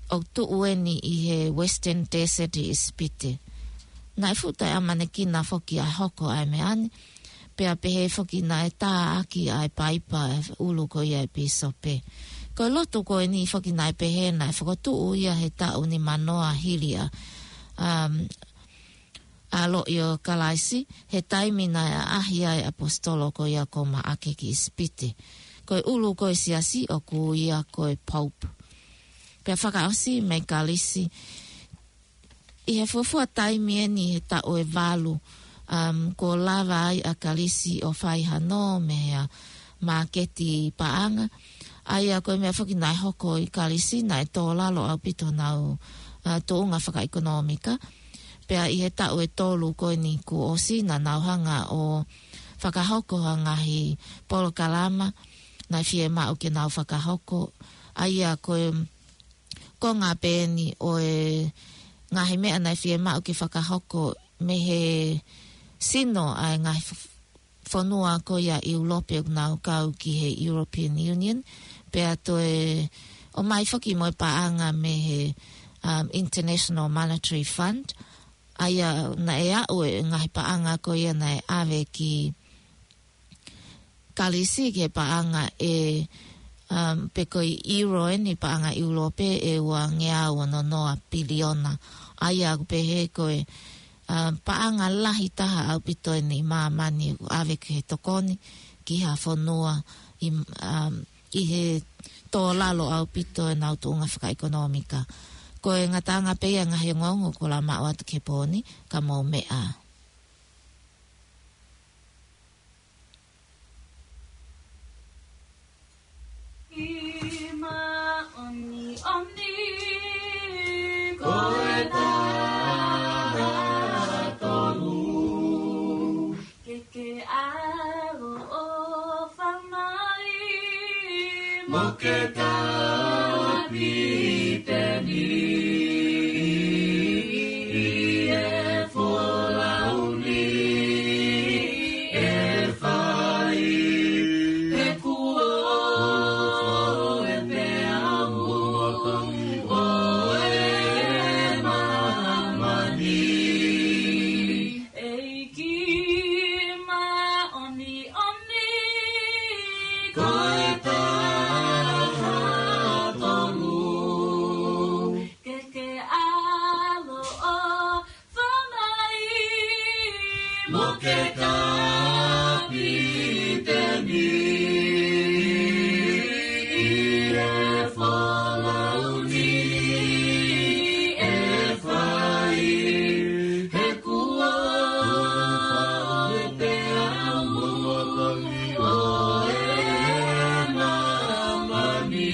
ʻoku tuʻu eni ʻi he Western Desert ʻi ʻIsipite. Naʻe fuʻu taʻeʻamanekina foki ʻa e hoko ʻa e meʻa ni, pea pehē foki naʻe tā ʻaki ʻa e paipa ʻa e ʻulu ko ia ʻa e pīsope. Ko e lotu ko eni foki naʻe pehē naʻe fokotuʻu ia he taʻu nimanoa hili ʻa, um, ʻa e ʻaloʻi ʻo Kalaisi, he taimi naʻe ʻaʻahi ai ʻa e ʻaposetolo ko ia ko Maʻake ki ʻIsipite. Ko e ʻulu ko ē ʻo e siasi ʻoku ui ia ko e Pope. Pea fakaʻosi mei Kalisi, ʻi he fuofua taimi eni he taʻu ʻe valu, um, kuo lava ai ʻa Kalisi ʻo fai hano mei he māketi paʻanga. ʻA ia ko e meʻa foki naʻe hoko ʻi Kalisi, naʻe tō lalo ʻaupito honau, uh, tuʻunga fakaʻekonōmika. Pea ʻi he taʻu ʻe tolu ko eni kuo ʻosi naʻa nau hanga ʻo fakahoko ha ngaahi polokalama naʻe fiemaʻu ke nau fakahoko. ʻA ia ko e konga pē eni ʻo e ngaahi meʻa naʻe fiemaʻu ke fakahoko mei he sino ʻa e ngaahi f-, fonua ko ia ʻIulope ʻoku nau kau ki he European Union, pea toe ʻomai foki mo e paʻanga mei he, um, International Monetary Fund, ʻa ia naʻe aʻu e ngaahi paʻanga ko ia naʻe ʻave ki Kalisi ki he paʻanga ʻe, um, pe ko e euro eni paʻanga ʻIulope ʻe ua ngeau ono noa piliona. ʻA ia ʻoku pehē ko e, um, paʻanga lahi taha ʻaupito eni ʻi māmani ʻoku ʻave ki he tokoni ki ha fonua ʻi, um, ʻi he tō lalo ʻaupito ʻenau tuʻunga fakaʻekonōmika. Ko e ngataʻanga pē ia e ngaahi ongoongo kuo lava maʻu atu ki he pō ni, ka mou meʻa. ʻI māʻoniʻoni ko e taha tolu. Ke ke ʻaloʻofa mai mo ke kapiteni ʻi he folau ni ʻe fai, he kuo ʻofa pea mo ʻo e māmani. ʻEiki māʻoniʻoni ko e taha tolu. Ke ke ʻaloʻofa mai mo ke kapiteni ʻi he folau ni ʻe fai, he kuo ʻofa pea mo ʻo e māmani.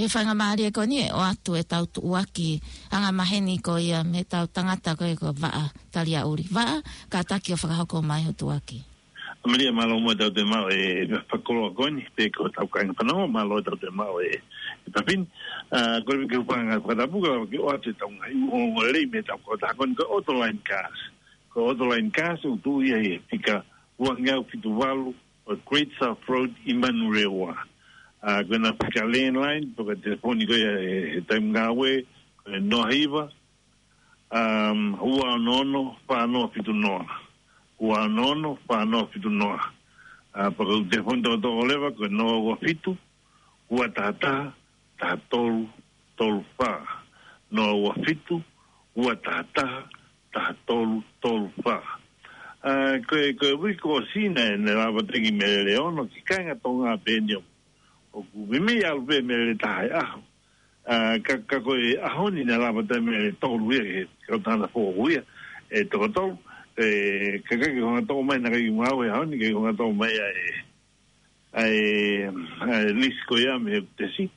Faingamālie ko eni ʻe ʻoatu ʻetau tuʻuaki angamaheni ko ia mei heʻetau tangata ko ia ko Vaʻa Taliaʻuli. Vaʻa, kātaki ʻo fakahoko mai ho tuʻuaki. Malia, mālō muʻa ʻetau toe maʻu e fakakoloa ko eni, pea ko hotau kāinga fanongo, mālō ʻetau toe maʻu e, e papini. ʻA, ko e ke upanga fakatapu ka ke ʻoatu ʻetau ngaahi ongoongo lelei mei heʻetau kautaha ko eni ko e Autoline Cars. Ko e Autoline Cars ʻoku tuʻu ia he fika uangeau fitu valu ʻo e Great South Road ʻi Manurewa. ʻA, ko ʻena fika landline, pe ko e telefoni ko ia he, he taimi ngāue, ko e noa hiva, um, ua ono ono, fā noa fitu noa. Ua ono ono, fā noa fitu noa. ʻA, pe ko e telefoni toko toko leva, ko e noa ua fitu, ua taha taha, taha tolu tolu fā. Noa ua fitu, ua taha taha, taha tolu tolu fā. ʻA, ko e, ko e uike kuo ʻosi naʻe, naʻe lava teki Melele ono, ki he kāinga Tonga pē eni ʻoku meimei ʻalu pē Melele taha he ʻaho. ʻA, ka, ka ko e ʻaho ni naʻe lava teki Melele tolu ia, he kautaha naʻe foʻou ia, ʻe toko tolu, ʻe, ka, ka ke hanga toʻo mai, naʻe ʻikai ke u maʻu he ʻaho ni, ʻikai ke u hanga toʻo mai ʻa e, ʻa e, ʻa e lisi ko ia mei he tesi.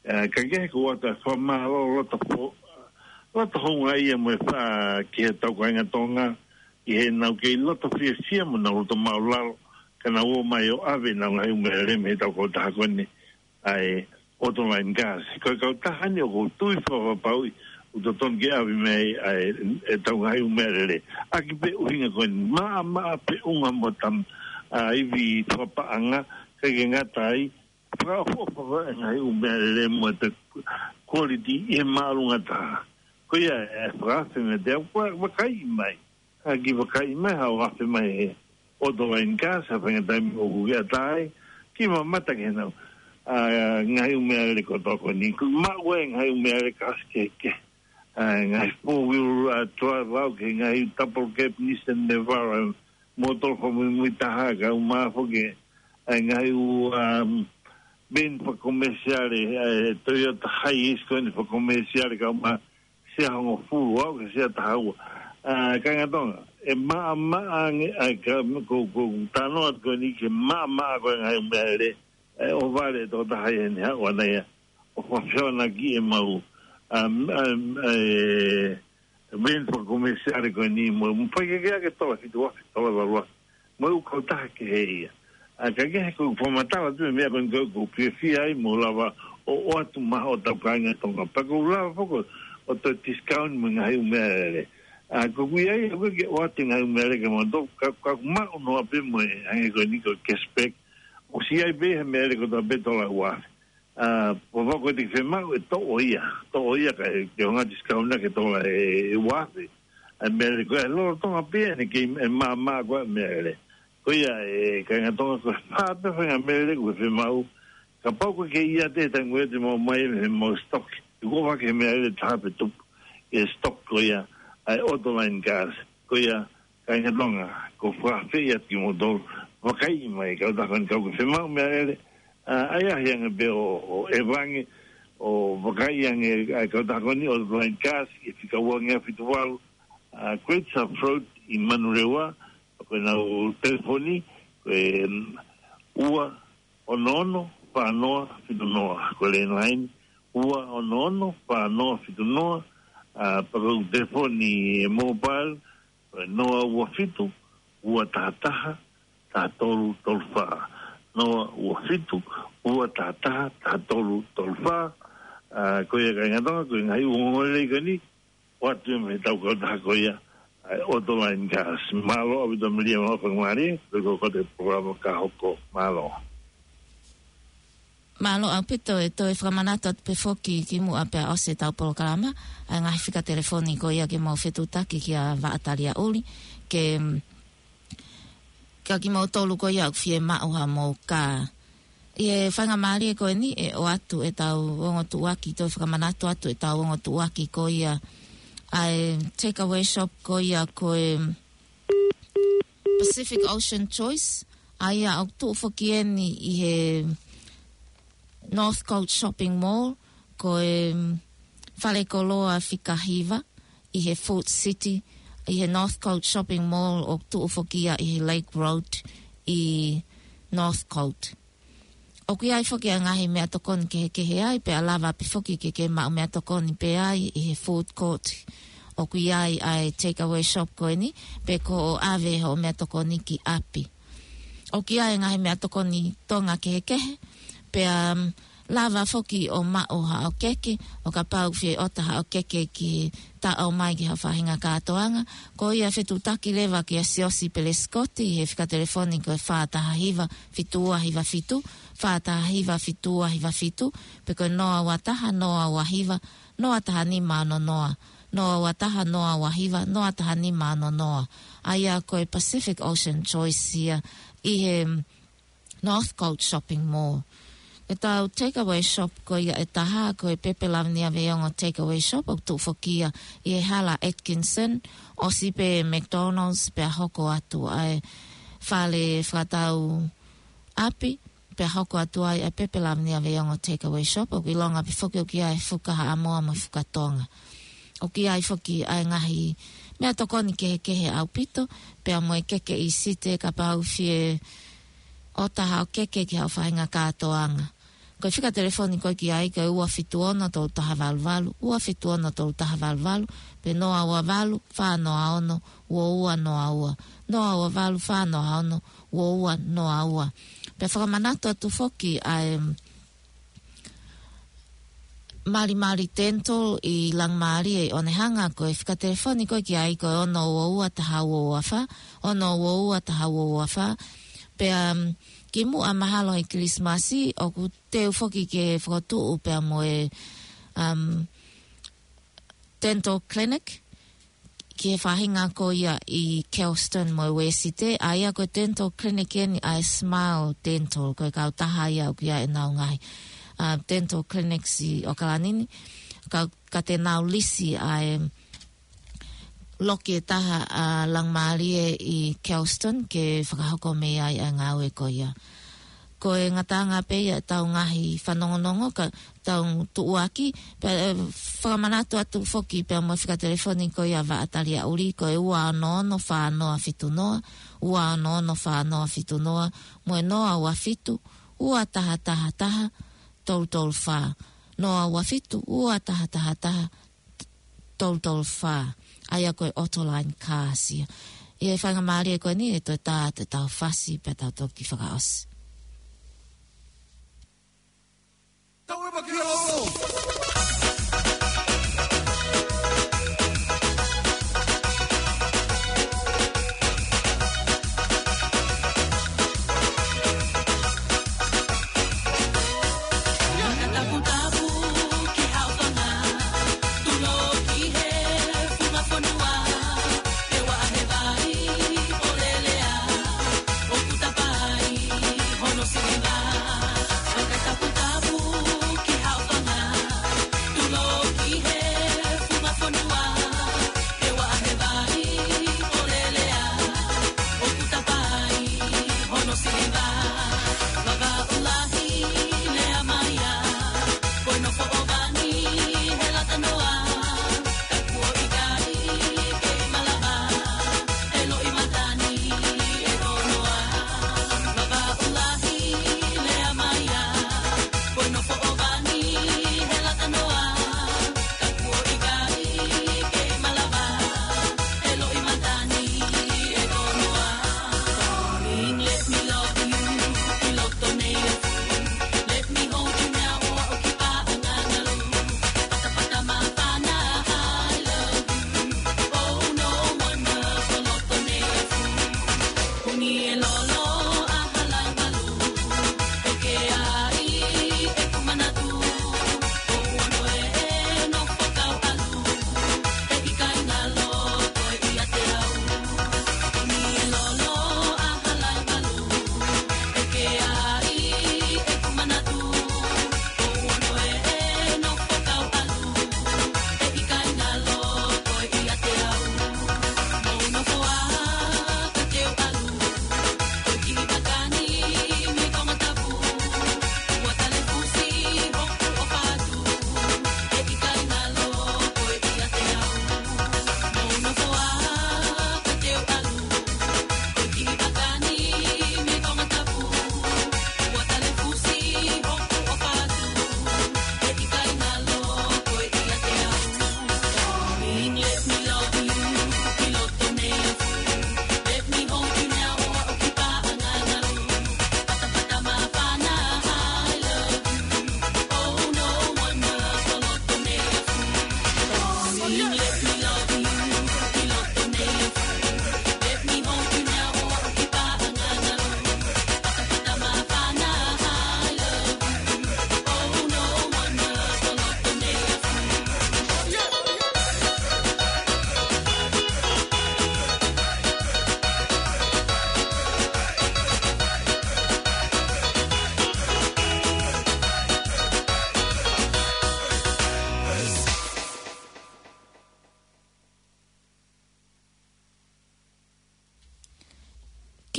ʻA, ka ke he ko ʻoatu e fakamālō loto fo-, loto houngaʻia mo e fā ki heʻetau kāinga Tonga, ʻi heʻenau kei loto fiefia mo ʻenau loto māʻulalo, ka nau ō mai ʻo ʻave ʻenau ngaahi ʻū meʻalele mei heʻetau kautaha ko eni, ʻa e Autoline Cars. Ko e kautaha ni ʻoku ou tui fakapapauʻi ʻoku totonu ke ʻave mai ʻa e, ʻetau ngaahi ʻū meʻalele. ʻAki pē ʻuhinga ko eni, maʻamaʻa pē ʻunga mo tam-, ʻa, ivi fakapaʻanga, ʻikai ke ngata ai, fakaʻofoʻofa ko e ngaahi ʻū meʻalele mo ʻeta quality ʻi he māʻolunga taha. Ko ia ʻe fakaafe meiate au, va-, vakaiʻi mai. ʻAki vakaiʻi mai, haʻu ʻo afe mai he Autoline Cars, ha faʻahinga taimi ʻoku ke ʻatā ai, ke mamata ki heʻenau, ʻa, ngaahi ʻū meʻalele kotoa ko eni. Ko e maʻu e ngaahi ʻū meʻalele kasi kehekehe. ʻA, ngaahi four wheel, ʻa, drive au ki he ngaahi double cab Nissan Navara, mōtoa fakamuimui taha, kae ʻumaʻā foki e ngaahi ʻū, um, van fakakomesiale, ʻa e Toyota Hiace ko eni fakakomesiale, kae ʻumaʻā sia hongofulu au ki he sia taha ua. ʻA, kāinga Tonga, ʻe maʻamaʻa ange, ʻa, ka, ko, ko, talanoa ko eni ki he maʻamaʻa ko e ngaahi ʻū meʻalele, ʻe ʻohovale e tokotaha ia ʻi heʻene haʻu ʻana ia ʻo fakafehoanaki ʻemau, um, um, e, van fakakomesiale ko eni mo, mo e faikehekehe ʻa e tola fitu afe, tola valu afe. Mo e ʻū kautaha kehe ia. ʻA, ka ke he ko e fakamatala atu e meʻa ko eni ko, ko e fiefia ai mo lava ʻo, ʻoatu maʻa hotau kāinga Tonga. Pea ko e lava foki ʻo toe discount mo e ngaahi ʻū meʻalele. ʻA, ko e ʻuhi ia, ʻoku ʻikai ke ʻoatu e ngaahi ʻū meʻalele kia moutolu, ka, ka maʻu noa pē mo e, hangē ko eni ko e cashback. ʻOsi ʻi ai pē he meʻalele kotoa pē tola ua afe. ʻA, pea ko e te fiemaʻu ʻe toʻo ia, toʻo ia kae, ke hanga ʻo discount ʻaki e tola ʻe, ʻe ua afe. ʻA e meʻalele ko ia lolotonga pē ʻene kei, ʻe maʻamaʻa ko ē meʻalele. Ko ia e kāinga Tonga ko e fā pē faʻahinga meʻalele ʻoku ke fiemaʻu. Kapau ʻoku ke ʻiate he taimi ʻoku ʻiate maʻu mai mei heʻemau stock. ʻOku ʻofa ke meʻalele taha pē tupu he stock ko ia ʻa e Autoline Cars. Ko ia kāinga Tonga, ʻoku ou fakaafeʻi atu kimoutolu, vakaiʻi mai, kautaha ko eni kapau ʻoku ke fiemaʻu meʻalele, ʻa, ʻai ʻahiʻahi ange pē ʻo, ʻo ʻeva ange, ʻo vakaiʻi ange, ʻa e kautaha ko eni Autoline Cars, ʻi he fika uangeau fitu valu, ʻa, Great South Road ʻi Manurewa, ko ʻenau telefoni, ko e, um, ua ono ono, fā noa fitu noa, ko e landline, ua ono ono, fā noa fitu noa, ʻa, pea ko e telefoni mobile, ko e noa ua fitu, ua taha taha, taha tolu tolu fā. Noa ua fitu, ua taha taha, taha tolu tolu fā. ʻA, ko ia kāinga Tonga, ko e ngaahi ongoongo lelei ko eni, ʻoatu ia mei heʻetau kautaha ko ia, ʻa e Autoline Cars. Mālō ʻaupito Malia mo e faingamālie, ko e ko e polokalama ka hoko. Mālō. Mālō ʻaupito, ʻe toe fakamanatu atu pē foki kimuʻa pea ʻosi ʻetau polokalama, ʻa e ngaahi fika telefoni ko ia ke mou fetuʻutaki kia Vaʻa Taliaʻuli, ke, mm, kia kimoutolu ko ia ʻoku fiemaʻu haʻamou kā. ʻI he faingamālie ko eni ʻe ʻoatu ʻetau ongo tuʻuaki, toe fakamanatu atu ʻetau ongo tuʻuaki ko ia ʻa e takeaway shop ko ia ko e Pacific Ocean Choice, ʻa ia ʻoku tuʻu foki eni ʻi he Northcote Shopping Mall, ko e, mm, fale koloa fika hiva ʻi he Food City, ʻi he Northcote Shopping Mall ʻoku tuʻu foki ia ʻi he Lake Road ʻi Northcote. ʻOku ʻi ai foki ʻa e ngaahi meʻatokoni kehekehe ai, pea lava pē foki ke ke maʻu meʻatokoni pē ai ʻi he food court. ʻOku ʻi ai ʻa e takeaway shop ko eni, pe ko hoʻo ʻave hoʻo meʻatokoni ki ʻapi. ʻOku ʻi ai e ngaahi meʻatokoni Tonga kehekehe, pea, um, lava foki ʻo maʻu haʻo keke, ʻo kapau fie ʻota haʻo keke ki he taʻo mai ki haʻo faʻahinga kātoanga. Ko ia fetuʻutaki leva kia Siosi Pelesikoti he fika telefoni ko e fā taha hiva fitu ua hiva fitu, fā taha hiva fitu ua hiva fitu, pe ko e noa ua taha noa ua hiva noa taha nima ono noa, noa ua taha noa ua hiva noa taha nima ono noa. ʻA ia ko e Pacific Ocean Choice ia ʻi he Northcote Shopping Mall. Ko ʻetau takeaway shop ko ia ʻe taha, ko e Pepe Lavenia Veiongo Takeaway Shop, ʻoku tuʻu foki ia ʻi he Hala Atkinson, ʻosi pē McDonald's, pea hoko atu ʻa e fale fakatau ʻapi, pea hoko atu ai ʻa e Pepe Lavenia Veiongo Takeaway Shop, ʻoku ʻilonga pē foki ʻoku ʻi ai e fuka Haʻamoa mo e fuka Tonga. ʻOku ʻi ai foki ʻa e ngaahi meʻatokoni kehekehe ʻaupito, pea mo e keke ʻi Site kapau fie ʻota haʻo keke ki haʻo faʻahinga kātoanga. Ko e fika telefoni ko ē ki ai ko e ua fitu ono tolu taha valu valu, ua fitu ono tolu taha valu valu, pe noa ua valu fā noa ono ua ua noa ua, noa ua valu fā noa ono ua ua noa ua. Pea fakamanatu atu foki ʻa e Malimali Dental ʻi Langimālie ʻi Onehunga, ko e fika telefoni ko ē ki ai ko e ono ua ua taha ua ua fā, ono ua ua taha ua ua fā. Pea, um, kimuʻa mahalo he Kilisimasi, ʻoku teu foki ke fokotuʻu pea mo e, um, dental clinic ki he faʻahinga ko ia ʻi Kelston mo e Uēsite, ʻa ia ko e dental clinic eni ʻa e Smile Dental, ko e kautaha ia ʻoku ʻi ai ʻenau ngaahi, uh, dental clinics ʻi ʻAokalani ni, ka, ka te nau lisi ʻa e loki ʻe taha ʻa Langimālie ʻi Kelston ke fakahoko mei ai ʻa e ngāue ko ia. Ko e ngataʻanga pē ia ʻetau ngaahi fanongonongo ka tau tuʻuaki, pea, eh, fakamanatu atu foki pea mo e fika telefoni ko ia Vaʻa Taliaʻuli, ko e ua ono ono fā noa fitu noa, ua ono ono fā noa fitu noa, mo e noa ua fitu ua taha taha taha tolu tolu fā, noa ua fitu ua taha taha taha tolu tolu fā, ʻa ia ko e Autoline Cars ia. ʻI he faingamālie ko eni ʻe toe tā atu ʻetau fasi pea tau toki fakaʻosi.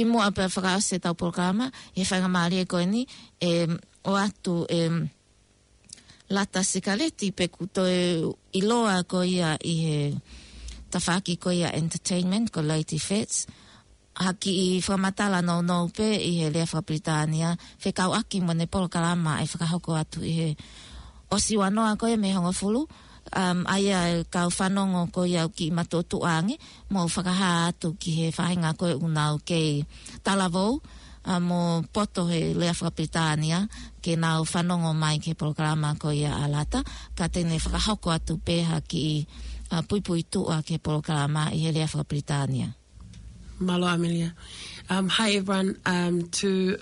Muʻa pea fakaʻosi ʻetau polokalama, ʻi he faingamālie ko eni, ʻe ʻoatu ʻe Lata Sikaleti pe kuo toe ʻiloa ko ia ʻi he tafaʻaki ko ia entertainment ko Lady Fats, ha kiʻi fakamatala nounou pē ʻi he lea fakapilitānia, fekauʻaki mo ʻene polokalama ʻe fakahoko atu ʻi he ʻosi ua noa ko ia mei he hongofulu, um, ʻa ia ʻe kau fanongo ko ia ʻoku kiʻi matuʻotuʻa ange, mou fakahā atu ki he faʻahinga ko ē ʻoku nau kei talavou, ʻa, mo poto he lea fakapilitānia, ke nau fanongo mai ki he polokalama ko ia ʻa Lata, ka te ne fakahoko atu pē ha kiʻi, ʻa, puipuituʻa ki he polokalama ʻi he lea fakapilitānia. Mālō, Amelia. Um, hi, everyone. Um, to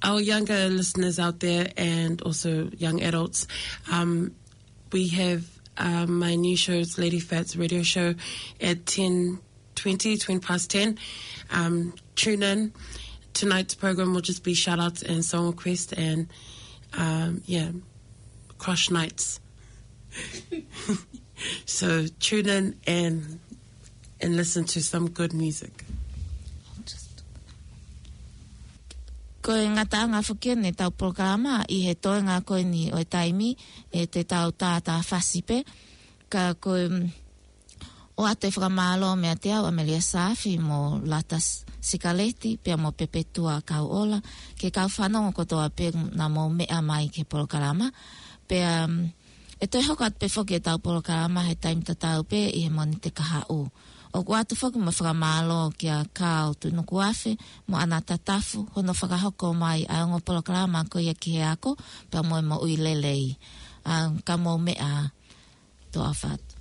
our younger listeners out there and also young adults, um, we have, um, my new shows, Lady Fats Radio Show, at ten twenty, twenty past ten. Um, tune in. Tonight's program will just be shout outs and song requests and, um, yeah, crush nights. So tune in and and listen to some good music. Ko e ngataʻanga foki eni ʻetau polokalama ʻi he toenga ko eni ʻo e taimi, ʻe te tau tātāfasi pē, ka ko e, mm, ʻoatu e fakamālō meiate au, Amelia Saafi mo Lata S-, Sikaleti, pea mo Pepetua Kauʻola, ki he kau fanongo kotoa pē naʻa mou meʻa mai ki he polokalama. Pea, mm, ʻe toe hoko atu pē foki ʻetau polokalama he taimi tatau pē ʻi he Mōnite kahaʻu. ʻOku ʻoatu foki mo e fakamālō kia Kao Tunukuafe mo ʻAna Tatafu, hono fakahoko mai ʻa e ongo polokalama ko ia Ki he Ako, pea mo e Moʻui Lelei. ʻA, ka mou meʻa, toʻa ʻofa atu.